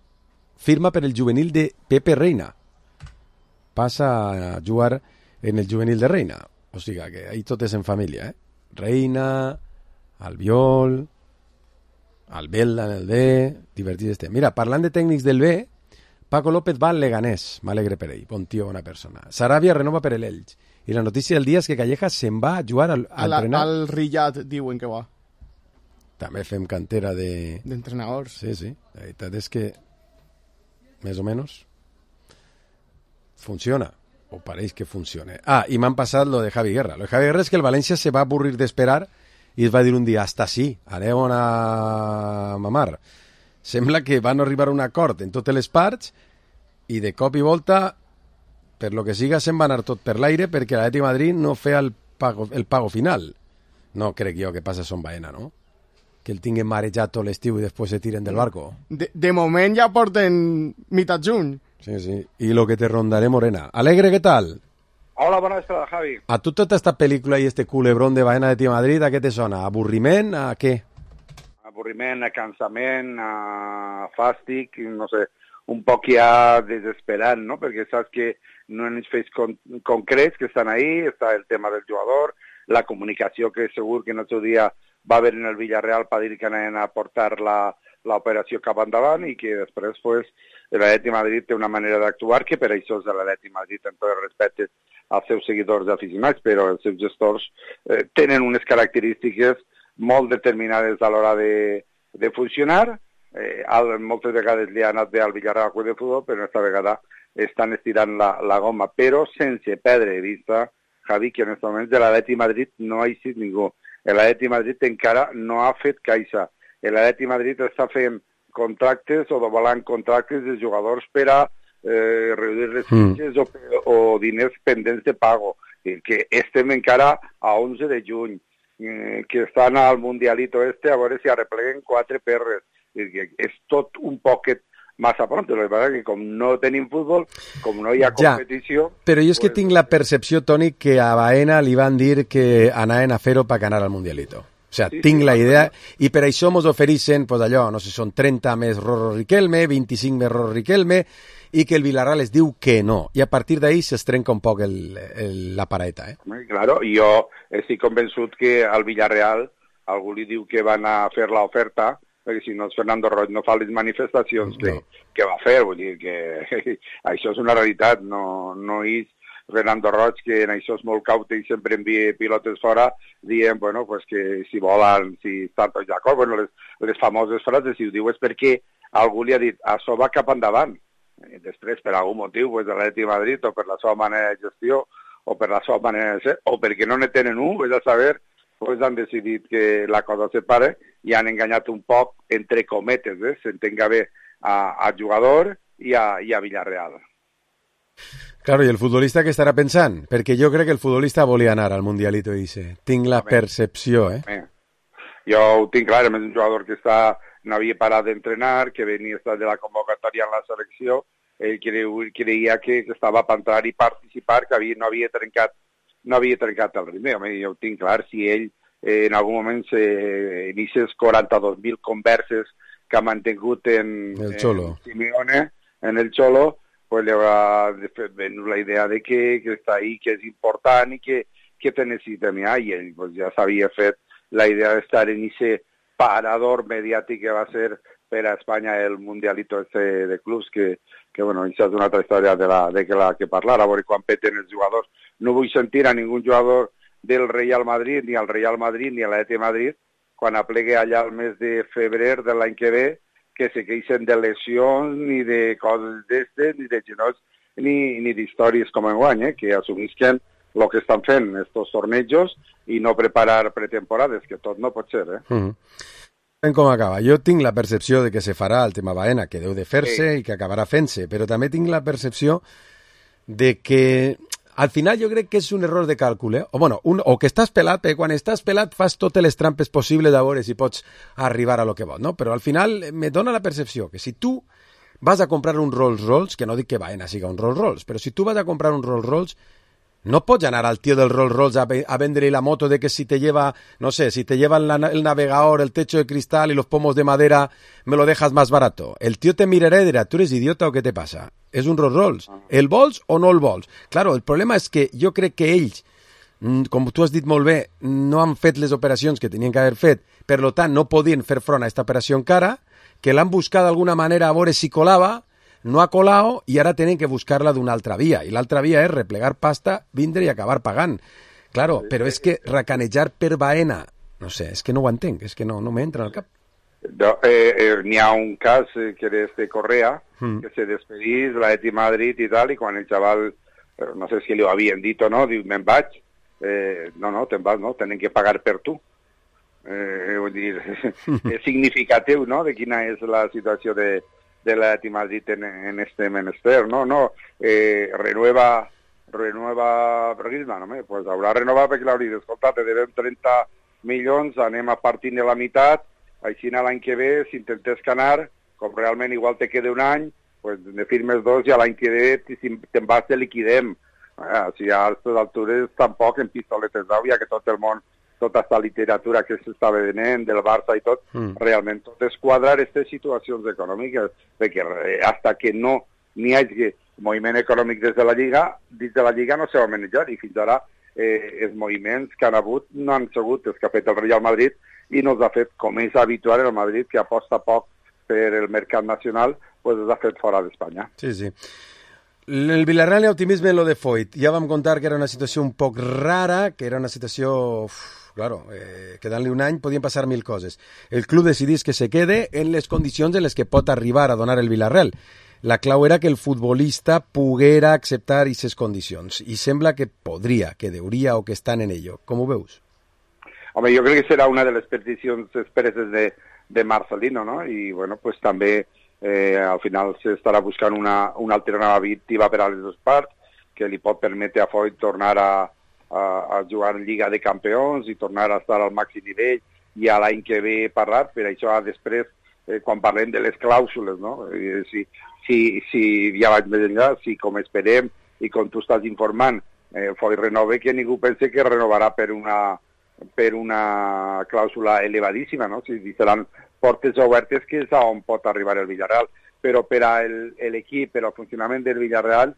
firma per el juvenil de Pepe Reina. Passa a jugar en el juvenil de Reina. O sigui que ahí tot és en família, Reina, Albiol, Albelda en el B, divertit este. Mira, parlant de tècnics del B, Paco López va al Leganés, m'alegre per ell, bon tio, bona persona. Sarabia renova per l'Elx. I la notícia del dia és que Callejas se'n va a jugar a entrenar. Al Riyad diuen que va. També fem cantera d'entrenadors. Sí. La veritat és que més o menys funciona, o pareix que funciona. I m'han passat lo de Javi Guerra. Lo de Javi Guerra és que el València se va avorrir d'esperar i es va dir un dia, hasta sí, aneu a mamar. Sembla que van arribar a un acord en totes les parts i de cop i volta, per lo que siga, se'n va anar tot per l'aire perquè l'Atlètic Madrid no feia el pago final. No crec jo que passa a Son Baena, no? Que el tinguin marejat tot l'estiu i després se tiren del barco. De moment ja porten mitad juny. Sí. I lo que te rondaré morena. Alegre, ¿qué tal? Hola, bona vesprada, Javi. A tu tota esta pel·lícula i este culebrón de Baena de Tio Madrid, a què te sona? Avorriment? A què? Avorriment, a cansament, a fàstic, no sé, un poc ja desesperant, no? Perquè saps que no hi ha fets concrets que estan ahí, està el tema del jugador, la comunicació que segur que en el seu dia va haver en el Villarreal per dir que anaven a portar l'operació cap endavant i que després pues, l'Atlètic Madrid té una manera d'actuar que per això és l'Atlètic Madrid amb tot el respecte als seus seguidors aficionats, però els seus gestors tenen unes característiques molt determinades a l'hora de funcionar. Moltes vegades li ha anat bé al Villarreal Club de Futbol, però aquesta vegada estan estirant la goma, però sense perdre de vista, Javi, que en aquest moment de l'Atlètic Madrid no ha eixit ningú. L'Atlètic Madrid encara no ha fet caixa. L'Atlètic Madrid està fent contractes o dobalant contractes de jugadors per a reduir les fitxes o diners pendents de pago. Que estem encara a 11 de juny, que estan al Mundialito a veure si arrepleguen 4 perres. És tot un poquet massa pronto. El que passa que com no tenim futbol, com no hi ha competició... Ja, però jo és que tinc la percepció, Toni, que a Baena li van dir que anaven a fer-ho per ganar al Mundialito. O sea, tinc la idea, i per això mos ofereixen, pues allò, no sé, són 30 més Rorro Riquelme, 25 més Rorro Riquelme, i que el Villarreal es diu que no. I a partir d'ahí s'estrenca un poc la pareta. Claro, i jo estic convençut que al Villarreal algú li diu que van a fer l'oferta, perquè si no Fernando Roig no fa les manifestacions que va fer, vull dir que això és una realitat, no és Fernando Roig, que en això és molt caute i sempre envia pilotes fora, dient, bueno, pues que si volen, si estan tots d'acord, bueno, les famoses frases, si ho diu és perquè algú li ha dit, això va cap endavant. I després, per algun motiu, pues, de l'Atlètic de Madrid, o per la seva manera de gestió, o per la seva manera de ser, o perquè no ne tenen és a saber, pues han decidit que la cosa se pare i han enganyat un poc, entre cometes, s'entenga bé, al jugador i a Villarreal. Claro, i el futbolista què estarà pensant? Perquè jo crec que el futbolista volia anar al Mundialito i dice, tinc la percepció, Jo ho tinc clar, és un jugador que no havia parat d'entrenar, que venia de la convocatòria en la selecció, ell creia que estava per entrar i participar, que no havia trencat el ritme. Jo ho tinc clar, si ell en algun moment inicies 42.000 converses que ha mantingut en Simeone, en el Cholo, pues le habrá venut la idea de que està ahí, que és important i que te necessita mirar, i ell pues, ja s'havia fet la idea d'estar en ese parador mediàtic que va ser per a Espanya el Mundialito de clubs, que bueno, això és una altra història de la que parlar, a veure quan peten els jugadors. No vull sentir a ningú jugador del Real Madrid, ni al Real Madrid, ni a l'Atlètic de Madrid, quan aplegue allà el mes de febrer de l'any que ve, que se queixen de lesions, ni de coses d'estes, ni de genolls, ni d'històries com enguany, que assumisquen el que estan fent estos tornejos i no preparar pretemporades, que tot no pot ser, Com acaba. Jo tinc la percepció de que se farà el tema Baena, que deu de fer-se i que acabarà fent-se, però també tinc la percepció de que al final jo crec que és un error de càlcul, o que estàs pelat, perquè quan estàs pelat fas totes les trampes possibles de veure si pots arribar a lo que vols, no? Però al final me dona la percepció que si tu vas a comprar un Rolls Royce, que no dic que Baena siga un Rolls Royce, però si tu vas a comprar un Rolls Royce, no pots anar al tío del Rolls Royce a vendre la moto de que si te lleva, no sé, si te lleva el navegador, el techo de cristal y los pomos de madera, me lo dejas más barato. El tío te mirará y dirá, ¿tú eres idiota o qué te pasa? És un Rolls Royce. El vols o no el vols? Claro, el problema és que jo crec que ells, com tu has dit molt bé, no han fet les operacions que tenien que haver fet, per tant no podien fer front a aquesta operació encara, que l'han buscat d'alguna manera a veure si colava, no ha colado i ara tenen que buscar-la d'una altra via. I l'altra via és replegar pasta, vindre i acabar pagant. Claro, però és que racanejar per Baena, no sé, és que no ho entenc, és que no m'entra al cap. N'hi ha un cas que és de Correa, que se despedís de l'Atlètic de Madrid i tal, i quan el xaval, no sé si li ho havien dit o no, diu, me'n vaig. No, te'n vas, no, tenen que pagar per tu. Vull dir, és significatiu, no?, de quina és la situació de l'Atlètic de Madrid en este menester, no? Renueva Griezmann, home, pues haurà renovat perquè l'hauria dit, escolta, te devem 30 milions, anem a partir de la meitat, així l'any que ve, si intentes canar, com realment igual te queda un any, pues ne firmes 2 i l'any que ve, si te'n vas, te liquidem. Si a aquestes altures tampoc en pistoletes d'au, ja que tot el món, tota aquesta literatura que s'estava venent, del Barça i tot, realment tot és quadrar aquestes situacions econòmiques, perquè hasta que no n'hi hagi moviment econòmic des de la Lliga no se va manejar, i fins ara els moviments que han hagut no han sigut els que ha fet el Real Madrid i no els ha fet, com és habitual el Madrid, que aposta poc per el mercat nacional, pues els ha fet fora d'Espanya. Sí, sí. El Villarreal i optimisme en lo de Foyt. Ja vam contar que era una situació un poc rara, que era una situació... Claro, quedant-li un any podien passar 1000 coses. El club decidís que se quede en les condicions en les que pot arribar a donar el Villarreal. La clau era que el futbolista poguera acceptar aquestes condicions. I sembla que podria, que deuria o que estan en ello. Com ho veus? Home, jo crec que serà una de les peticions expresses de Marcelino, no? I, bueno, pues també al final s'estarà buscant una alternativa per a les dues parts que li pot permetre a Foyt tornar a jugar en Lliga de Campions i tornar a estar al màxim nivell i a l'any que ve parlar, per això després quan parlem de les clàusules, no? Si ja vaig més enllà, si com esperem i com tu estàs informant, Foyt renova, que ningú pense que renovarà per una clàusula elevadíssima, no? Si seran portes obertes, que és on pot arribar el Villarreal. Però per a l'equip, per al funcionament del Villarreal,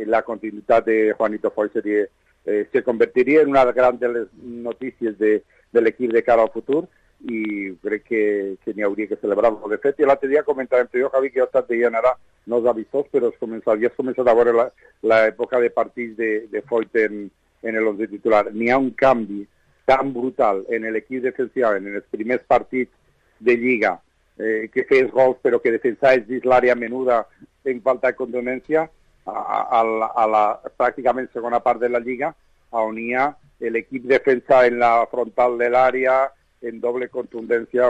la continuïtat de Juanito Foyt se convertiria en una gran de les notícies de l'equip de cara al futur, i crec que n'hi hauria que celebrar-lo. De fet, l'altre dia comentàvem jo, Javi, que jo he estat veient ara, no els avistors, però havies començat a veure l'època de partits de Foyt en l'11 titular. N'hi ha un canvi tan brutal en l'equip defensiu, en els primers partits de Lliga, que fes gols però que defensaves dins l'àrea menuda en falta de contundència, a la pràcticament segona part de la Lliga, on hi ha l'equip defensa en la frontal de l'àrea, en doble contundència,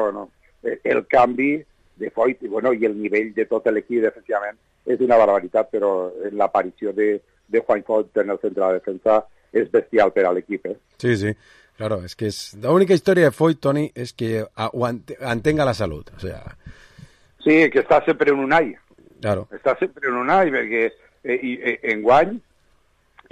el canvi de Foyt i el nivell de tot l'equip defensivament és una barbaritat, però l'aparició de Juan Foyt en el centre de defensa és bestial per a l'equip. Sí, sí. Claro, es que la única historia de Foyt, Toni, es que mantenga la salud. O sea... Sí, que està sempre en un all. Claro. Està sempre en un all, perquè enguany,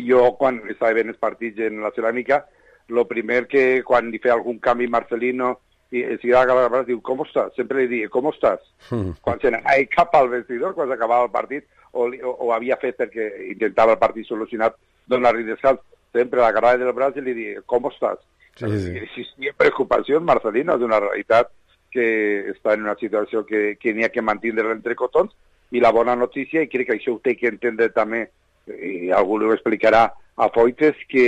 jo quan estava veient els partits en la ceràmica, lo primer que quan li feia algun canvi Marcelino i si agafava el braç diu, com estàs? Sempre li diu, com estàs? Quan se n'anava cap al vestidor, quan s'acabava el partit, o havia fet perquè intentava el partit solucionat, donar-li descans, sempre l'agarrava del braç i li diu, com estàs? Existia preocupació en Marcelino, és una realitat que està en una situació que n'hi ha que mantindre entre cotons, i la bona notícia, i crec que això ho té que entendre també, i algú ho explicarà a Foyt, és que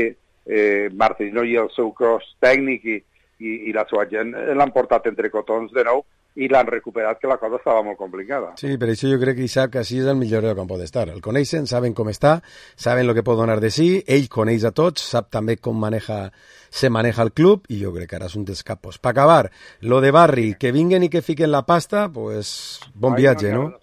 Marcelino i el seu cos tècnic i la seva gent l'han portat entre cotons de nou i l'han recuperat, que la cosa estava molt complicada. Sí, per això jo crec que Isaac Casillas és el millor lloc on pot estar. El coneixen, saben com està, saben el que pot donar de sí, ell coneix a tots, sap també com se maneja el club, i jo crec que ara és un dels capos. Per acabar, lo de Barri, que vinguen i que fiquen la pasta, pues bon viatge, no?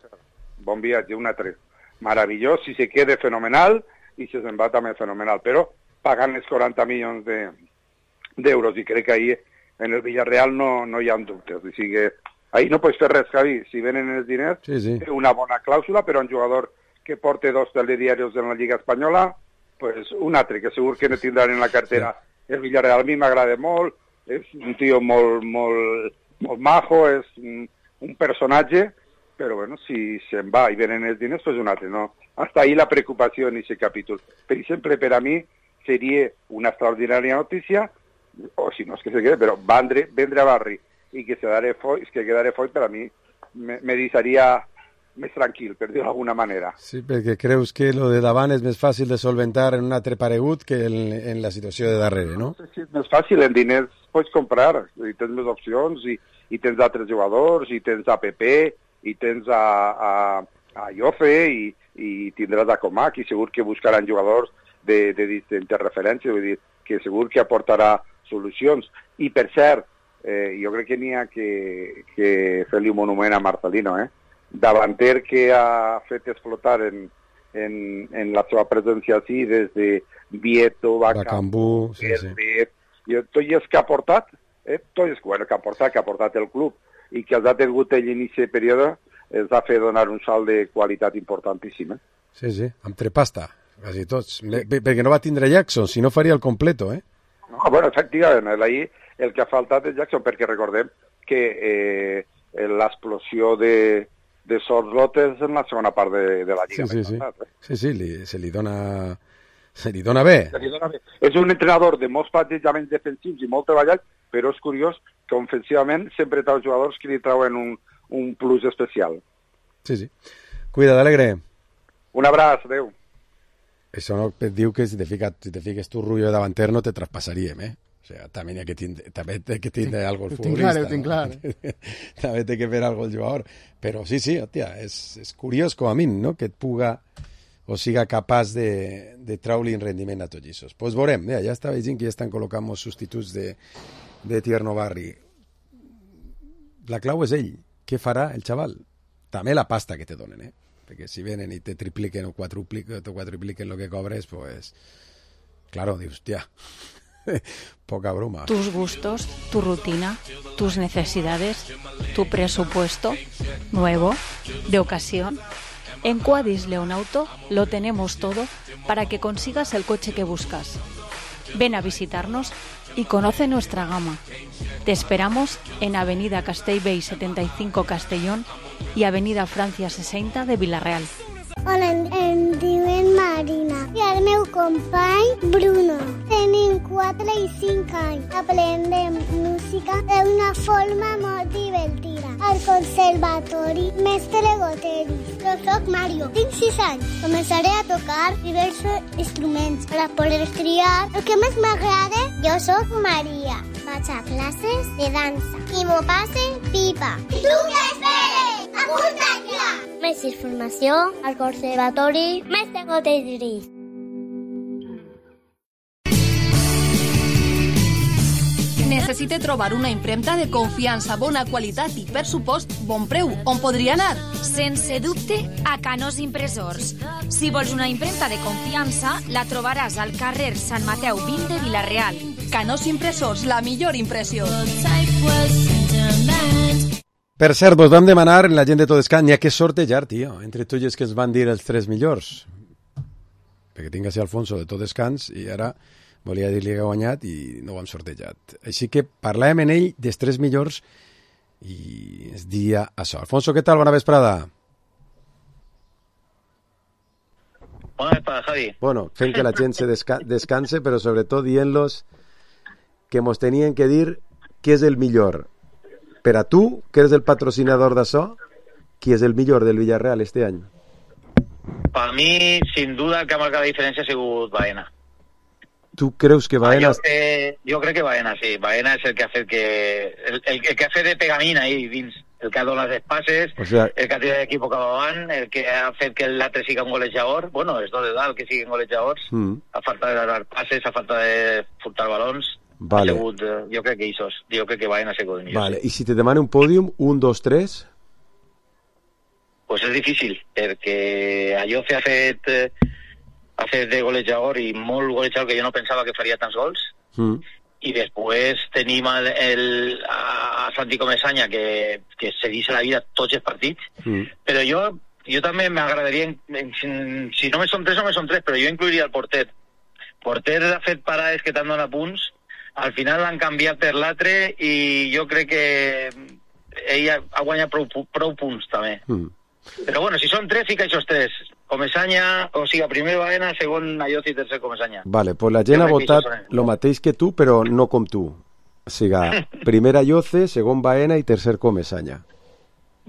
Bon viatge, un altre. Meravellós, si se queda fenomenal, i si se'n va també fenomenal, però pagant els 40 milions d'euros, i crec que ahí en el Villarreal no hi ha dubtes. O sigui, ahí no pots fer res, Javi. Si venen els diners, té una bona clàusula, però un jugador que porta 2 telediarios en la Lliga Espanyola, pues un altre, que segur que no tindran en la cartera. El Villarreal a mi m'agrada molt, és un tio molt majo, és un personatge, però bueno, si se'n va i venen els diners, pues un altre, no? Hasta ahí la preocupació en aquest capítol. Per exemple, per a mi, seria una extraordinària notícia, o si no és que se quede, però vendre a Barri i que quedare Foyt, per a mi me deixaria més tranquil, per dir-ho d'alguna manera. Sí, perquè creus que lo de davant és més fàcil de solventar en un altre paregut que en la situació de darrere, no? No sé si és més fàcil, en diners pots comprar, i tens més opcions, i tens altres jugadors, i tens a Pepe, i tens a Jofe, i tindràs a Comac, i segur que buscaran jugadors de distintes referències, vull dir que segur que aportarà solucions. I per cert, jo crec que n'hi ha que fer-li un monument a Marcelino, davanter que ha fet explotar en la seva presència així des de Vieto, Bacambú, tot és que ha portat, tot és que ha portat el club i que els ha tingut ell en aquest període, els ha fet donar un salt de qualitat importantíssim. Sí, amb trepasta. Quasi tots, perquè no va tindre Jackson, si no faria el completo, No, bueno, efectivament, ahí el que ha faltat és Jackson, perquè recordem que l'explosió de Sorlotes en la segona part de la Lliga. Sí, se li dona bé. És un entrenador de molts plantejaments defensius i molt treballat, però és curiós que ofensivament sempre té els jugadors que li trauen un plus especial. Sí. Cuida, Alegre. Un abraç, adeu. Això no et diu que si te fiques tu rotllo de davanter no te traspassaríem, O sea, també té que tindre algo el futbolista. Ho tinc clar. També té que fer algo el jugador. Però sí, hòstia, és curiós com a mi, no?, que et puga o siga capaç de treure-li en rendiment a tots aquests. Pues veurem, ja està veient que ja estan col·locant molts substituts de Tierno Barri. La clau és ell. Què farà el xaval? També la pasta que te donen, perquè si venen i te tripliquen o quadrupliquen lo que cobres, pues claro, dius, hòstia, Poca broma. Tus gustos, tu rutina, tus necesidades, tu presupuesto, nuevo, de ocasión. En Quadis Leonauto lo tenemos todo para que consigas el coche que buscas. Ven a visitarnos y conoce nuestra gama. Te esperamos en Avenida Castellbell 75 Castellón y Avenida Francia 60 de Vila-real. Hola, em diuen Marina i el meu company Bruno. Tenim 4 i 5 anys. Aprendem música d'una forma molt divertida. Al conservatori Mestre Goteris. Jo soc Mario, tinc 6 anys. Començaré a tocar diversos instruments per a poder triar el que més m'agrada. Jo soc Maria. Vaig a classes de dansa i m'ho passe pipa. I tu què esperes? Apunta't ja! Més informació al Conservatori Mestre Goteris. Necessite trobar una impremta de confiança, bona qualitat i, per supost, bon preu. On podria anar? Sense dubte, a Canós Impressors. Si vols una impremta de confiança, la trobaràs al carrer Sant Mateu 20 de Vila-real. Canós Impressors, la millor impressió. Per cert, vos vam demanar en la gent de Todescans, n'hi ha que sortejar, tio, entre tu i els que ens van dir els 3 millors. Perquè tinc així Alfonso de Todescans i ara volia dir-li que ha guanyat i no ho hem sortejat. Així que parlàvem en ell dels 3 millors i es dia això. Alfonso, què tal? Bona vesprada. Bona vesprada, Javi. Bueno, fent que la gent se descanse, però sobretot dient-los que mos tenien que dir què és el millor. Per a tu, que eres el patrocinador d'això, qui és el millor del Villarreal este any? Per mi, sin duda, el que ha marcat la diferència ha sigut Baena. Tu creus que Baena... Jo crec que Baena, sí. Baena és el que ha fet que... El que ha fet de pegamina ahí dins. El que ha donat els passes, el que ha tirat l'equip cap avant, el que ha fet que l'altre sigui un golejador. Bueno, els dos de dalt que siguin golejadors. A falta de dar passes, a falta de furtar balons. Vale. Jo crec que Isos. Jo crec que Baena ha sigut el millor. Vale. I si te demano un pòdium, 1, 2, 3... Pues és difícil, perquè Ayoce ha fet de golejador i molt golejador, que jo no pensava que faria tants gols. I després tenim a Santi Comesaña, que se deixa la vida tots els partits. Però jo també m'agradaria, si no me són 3, no me són 3, però jo incluiria el porter. Porter ha fet parades que t'han donat punts, al final l'han canviat per l'altre i jo crec que ell ha guanyat prou punts també. Però bueno, si són 3, fica aquests 3. Comesaña, o sigui, primer Baena, segon Ayoce i tercer Comesaña. Vale, pues la gent ha votat el mateix que tu, però no com tu. O sigui, primer Ayoce, segon Baena i tercer Comesaña.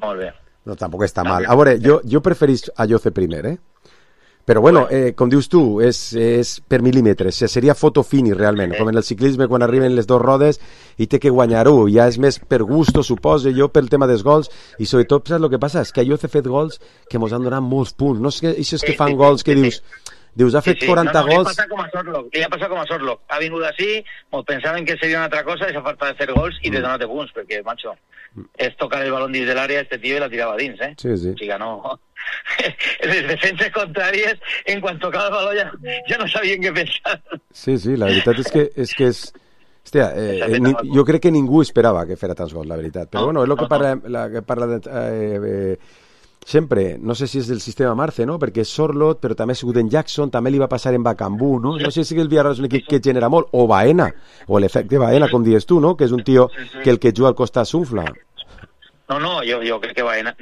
Molt bé. No, tampoc està mal. A veure, jo preferís Ayoce primer, Però bueno, com dius tu, és per mil·límetres. Seria foto fini, realment. Com en el ciclisme, quan arriben les 2 rodes i té que guanyar-ho. Ja és més per gusto, suposo, jo pel tema dels gols. I sobretot, saps el que passa? És que Ayoce ha fet gols que mos han donat molts punts. No és que això és que fan gols que dius, ha fet 40 gols... Li ha passat com a Sorlock. Ha vingut així, mos pensaven que seria una altra cosa, esa falta de fer gols i de donar-te punts, perquè, macho, és tocar el balón dins de l'àrea, este tío, i la tirava dins, Sí. O sigui, no... Les defenses contràries, en quan tocava el baló ja no sabien què pensar. Sí, la veritat és que és... Hòstia, jo crec que ningú esperava que fera tants gols, la veritat. Però bueno, és el que parla sempre, no sé si és del sistema Marce, no? Perquè és Sorloth, però també ha sigut en Jackson, també li va passar en Bacambú, no? No sé si el Villarreal és un equip que genera molt, o Baena, o l'efecte Baena, com dius tu, no? Que és un tio que el que juga al costat s'unfla. No, jo crec que Baena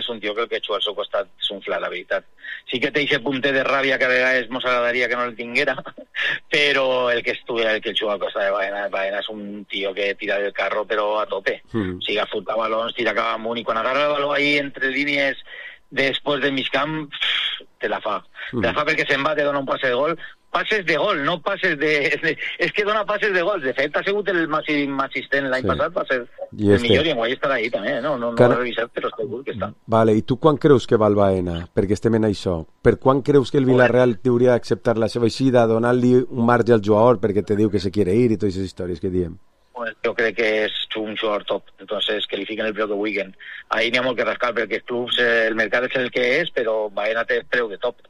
és un tio que el que juga al seu costat s'unfla, la veritat. Sí que té aquest punter de ràbia que a vegades mos agradaria que no el tinguera, però el que juga al costat de Baena és un tio que tira del carro però a tope. O sigui, furta balons, tira cap amunt, i quan agarra el baló ahí entre línies després del migcamp, te la fa. Te la fa perquè se'n va, te dona un passe de gol. Passes de gol, no passes de... És que dona passes de gol. De fet, ha sigut el màxim assistent l'any passat, va ser el millor, i en guai estarà ahí també, no ho he revisat, però segur que està. Vale, i tu quan creus que val Baena? Perquè estem en això. Per quan creus que el Villarreal hauria d'acceptar la seva eixida, donar-li un marge al jugador perquè te diu que se quiere ir i totes aquestes històries que diem? Jo crec que és un jugador top, entonces que li fiquen el preu que vulguin. Ahí n'hi ha molt que rascar, perquè els clubs, el mercat és el que és, però Baena té preu de top.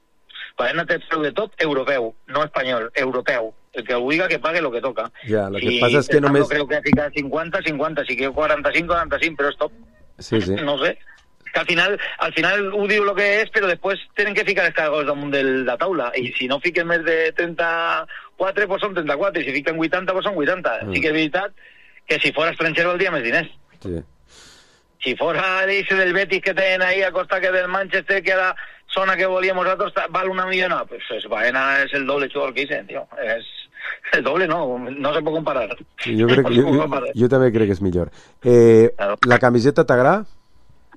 Baena té preu de top europeu, no espanyol, europeu. El que vulga que pague lo que toca. Ya, lo que pasa es que només... creo que fica 50, si quiero 45, però stop. Sí. No sé. Que al final ho diu el que és, però després tenen que ficar els cargos damunt de la taula, i si no fiquen més de 34, pues són 34, i si fiquen 80, pues són 80. Sí que és veritat que si fora estranger valdria més diners. Sí. Si fora l'eixe del Betis que tenen ahí a costa que del Manchester, que a la zona que volíem nosaltres val 1 milió, pues Baena és el doble jugador que dicen, tío. És el doble, no se pot comparar. Jo també crec que és millor. La camiseta t'agrada?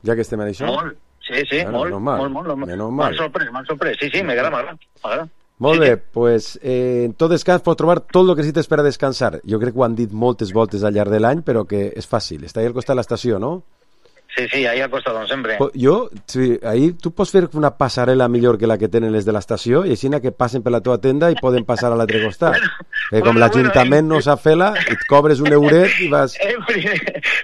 Ja que estem en això? Molt, sí, molt. M'han sorprès. Sí, m'agrada. Molt bé, pues en tot descans pots trobar tot el que necessites per a descansar. Jo crec que ho han dit moltes voltes al llarg de l'any, però que és fàcil. Està ahí al costat de l'estació, no? Sí, ahí al costat, com sempre. Ahí tu pots fer una passarel·la millor que la que tenen les de l'estació i així que passen per la teva tenda i poden passar a l'altre costat. Com l'Ajuntament no sap fer-la, et cobres un euret i vas...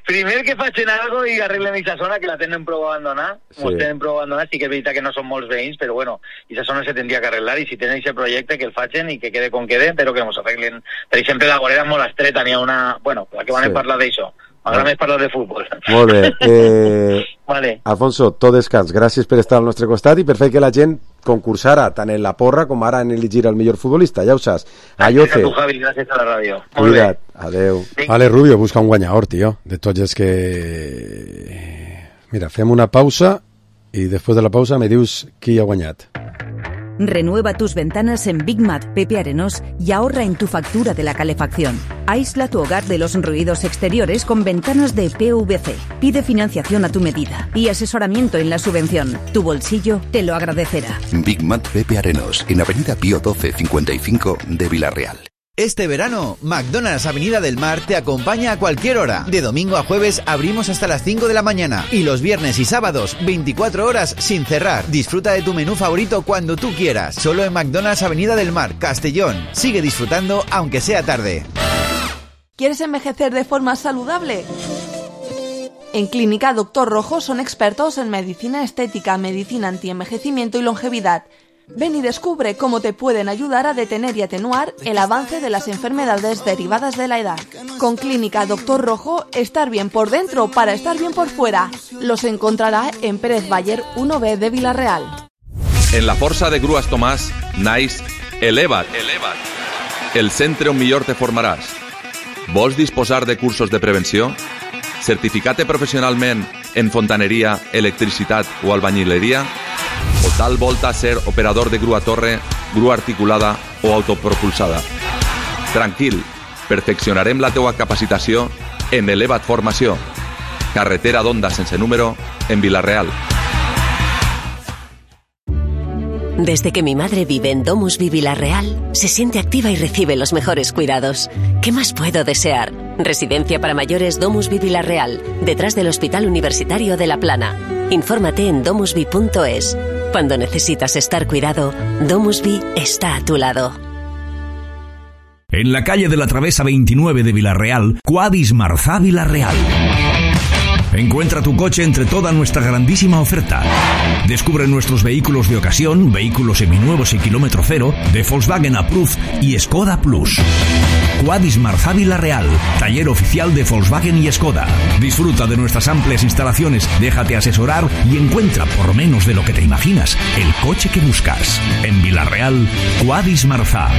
Primer que facin algo i arreglen aquesta zona, que la tenen prou abandonada. Sí que és veritat que no són molts veïns, però bueno, aquesta zona se tindria que arreglar, i si tenen aquest projecte que el facin i que quede com quede, però que ens arreglen. Per exemple, la vorera és molt estreta, n'hi ha una... Bueno, la que van a parlar d'això. M'agrada més parlar de futbol. Molt bé. Vale. Alfonso, tot descans. Gràcies per estar al nostre costat i per fer que la gent concursara tant en la porra com ara en elegir el millor futbolista. Ja ho saps. Gràcies a tu, Javi. Gràcies a la ràdio. Cuida't. Adeu. Vale, Rubio, busca un guanyador, tio. De tots els que... Mira, fem una pausa i després de la pausa me dius qui ha guanyat. Renueva tus ventanas en Big Mat Pepe Arenós y ahorra en tu factura de la calefacción. Aísla tu hogar de los ruidos exteriores con ventanas de PVC. Pide financiación a tu medida y asesoramiento en la subvención. Tu bolsillo te lo agradecerá. Big Mat Pepe Arenós, en Avenida Pío 12, 55 de Villarreal. Este verano, McDonald's Avenida del Mar te acompaña a cualquier hora. De domingo a jueves abrimos hasta las 5 de la mañana. Y los viernes y sábados, 24 horas sin cerrar. Disfruta de tu menú favorito cuando tú quieras. Solo en McDonald's Avenida del Mar, Castellón. Sigue disfrutando aunque sea tarde. ¿Quieres envejecer de forma saludable? En Clínica Doctor Rojo son expertos en medicina estética, medicina antienvejecimiento y longevidad. Ven y descubre cómo te pueden ayudar a detener y atenuar el avance de las enfermedades derivadas de la edad. Con Clínica Doctor Rojo, estar bien por dentro para estar bien por fuera. Los encontrará en Pérez Baller 1B de Villarreal. En la Força de Grues Tomàs, naix Eleva't. El centre on millor te formaràs. Vols disposar de cursos de prevenció? Certificar-te professionalment en fontaneria, electricitat o albañileria? O tal volta ser operador de grua torre, grua articulada o autopropulsada? Tranquil, perfeccionarem la teua capacitació en Eleva't Formació. Carretera d'Onda sense número, en Villarreal. Desde que mi madre vive en Domusvi Villarreal, se siente activa y recibe los mejores cuidados. ¿Qué más puedo desear? Residencia para mayores Domusvi Villarreal, detrás del Hospital Universitario de La Plana. Infórmate en domusvi.es. Cuando necesitas estar cuidado, Domusvi está a tu lado. En la calle de la Travesa 29 de Villarreal, Quadis Marzà Villarreal. Encuentra tu coche entre toda nuestra grandísima oferta. Descubre nuestros vehículos de ocasión, vehículos seminuevos y kilómetro cero, de Volkswagen Approved y Skoda Plus. Quadis Marzà Villarreal, taller oficial de Volkswagen y Skoda. Disfruta de nuestras amplias instalaciones, déjate asesorar y encuentra, por menos de lo que te imaginas, el coche que buscas. En Villarreal, Quadis Marzà.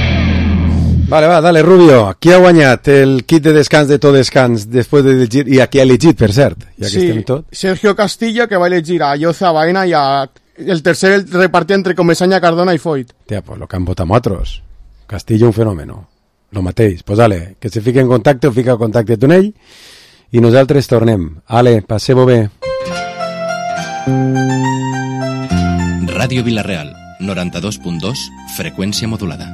Vale, va, dale, Rubio. Qui ha guanyat el kit de descans de tot descans després de llegir, i a qui ha elegit, per cert? Ja que estem tot. Sergio Castillo, que va elegir a Yoza Baena y a el tercer el repartía entre Comesaña, Cardona y Foyt. Tía, pues lo que han votado otros. Castillo un fenómeno. Lo matéis. Pues dale, que se fique en contacte, fica en contacte amb ell i nosaltres tornem. Ale, passeu bé. Ràdio Villarreal, 92.2, freqüència modulada.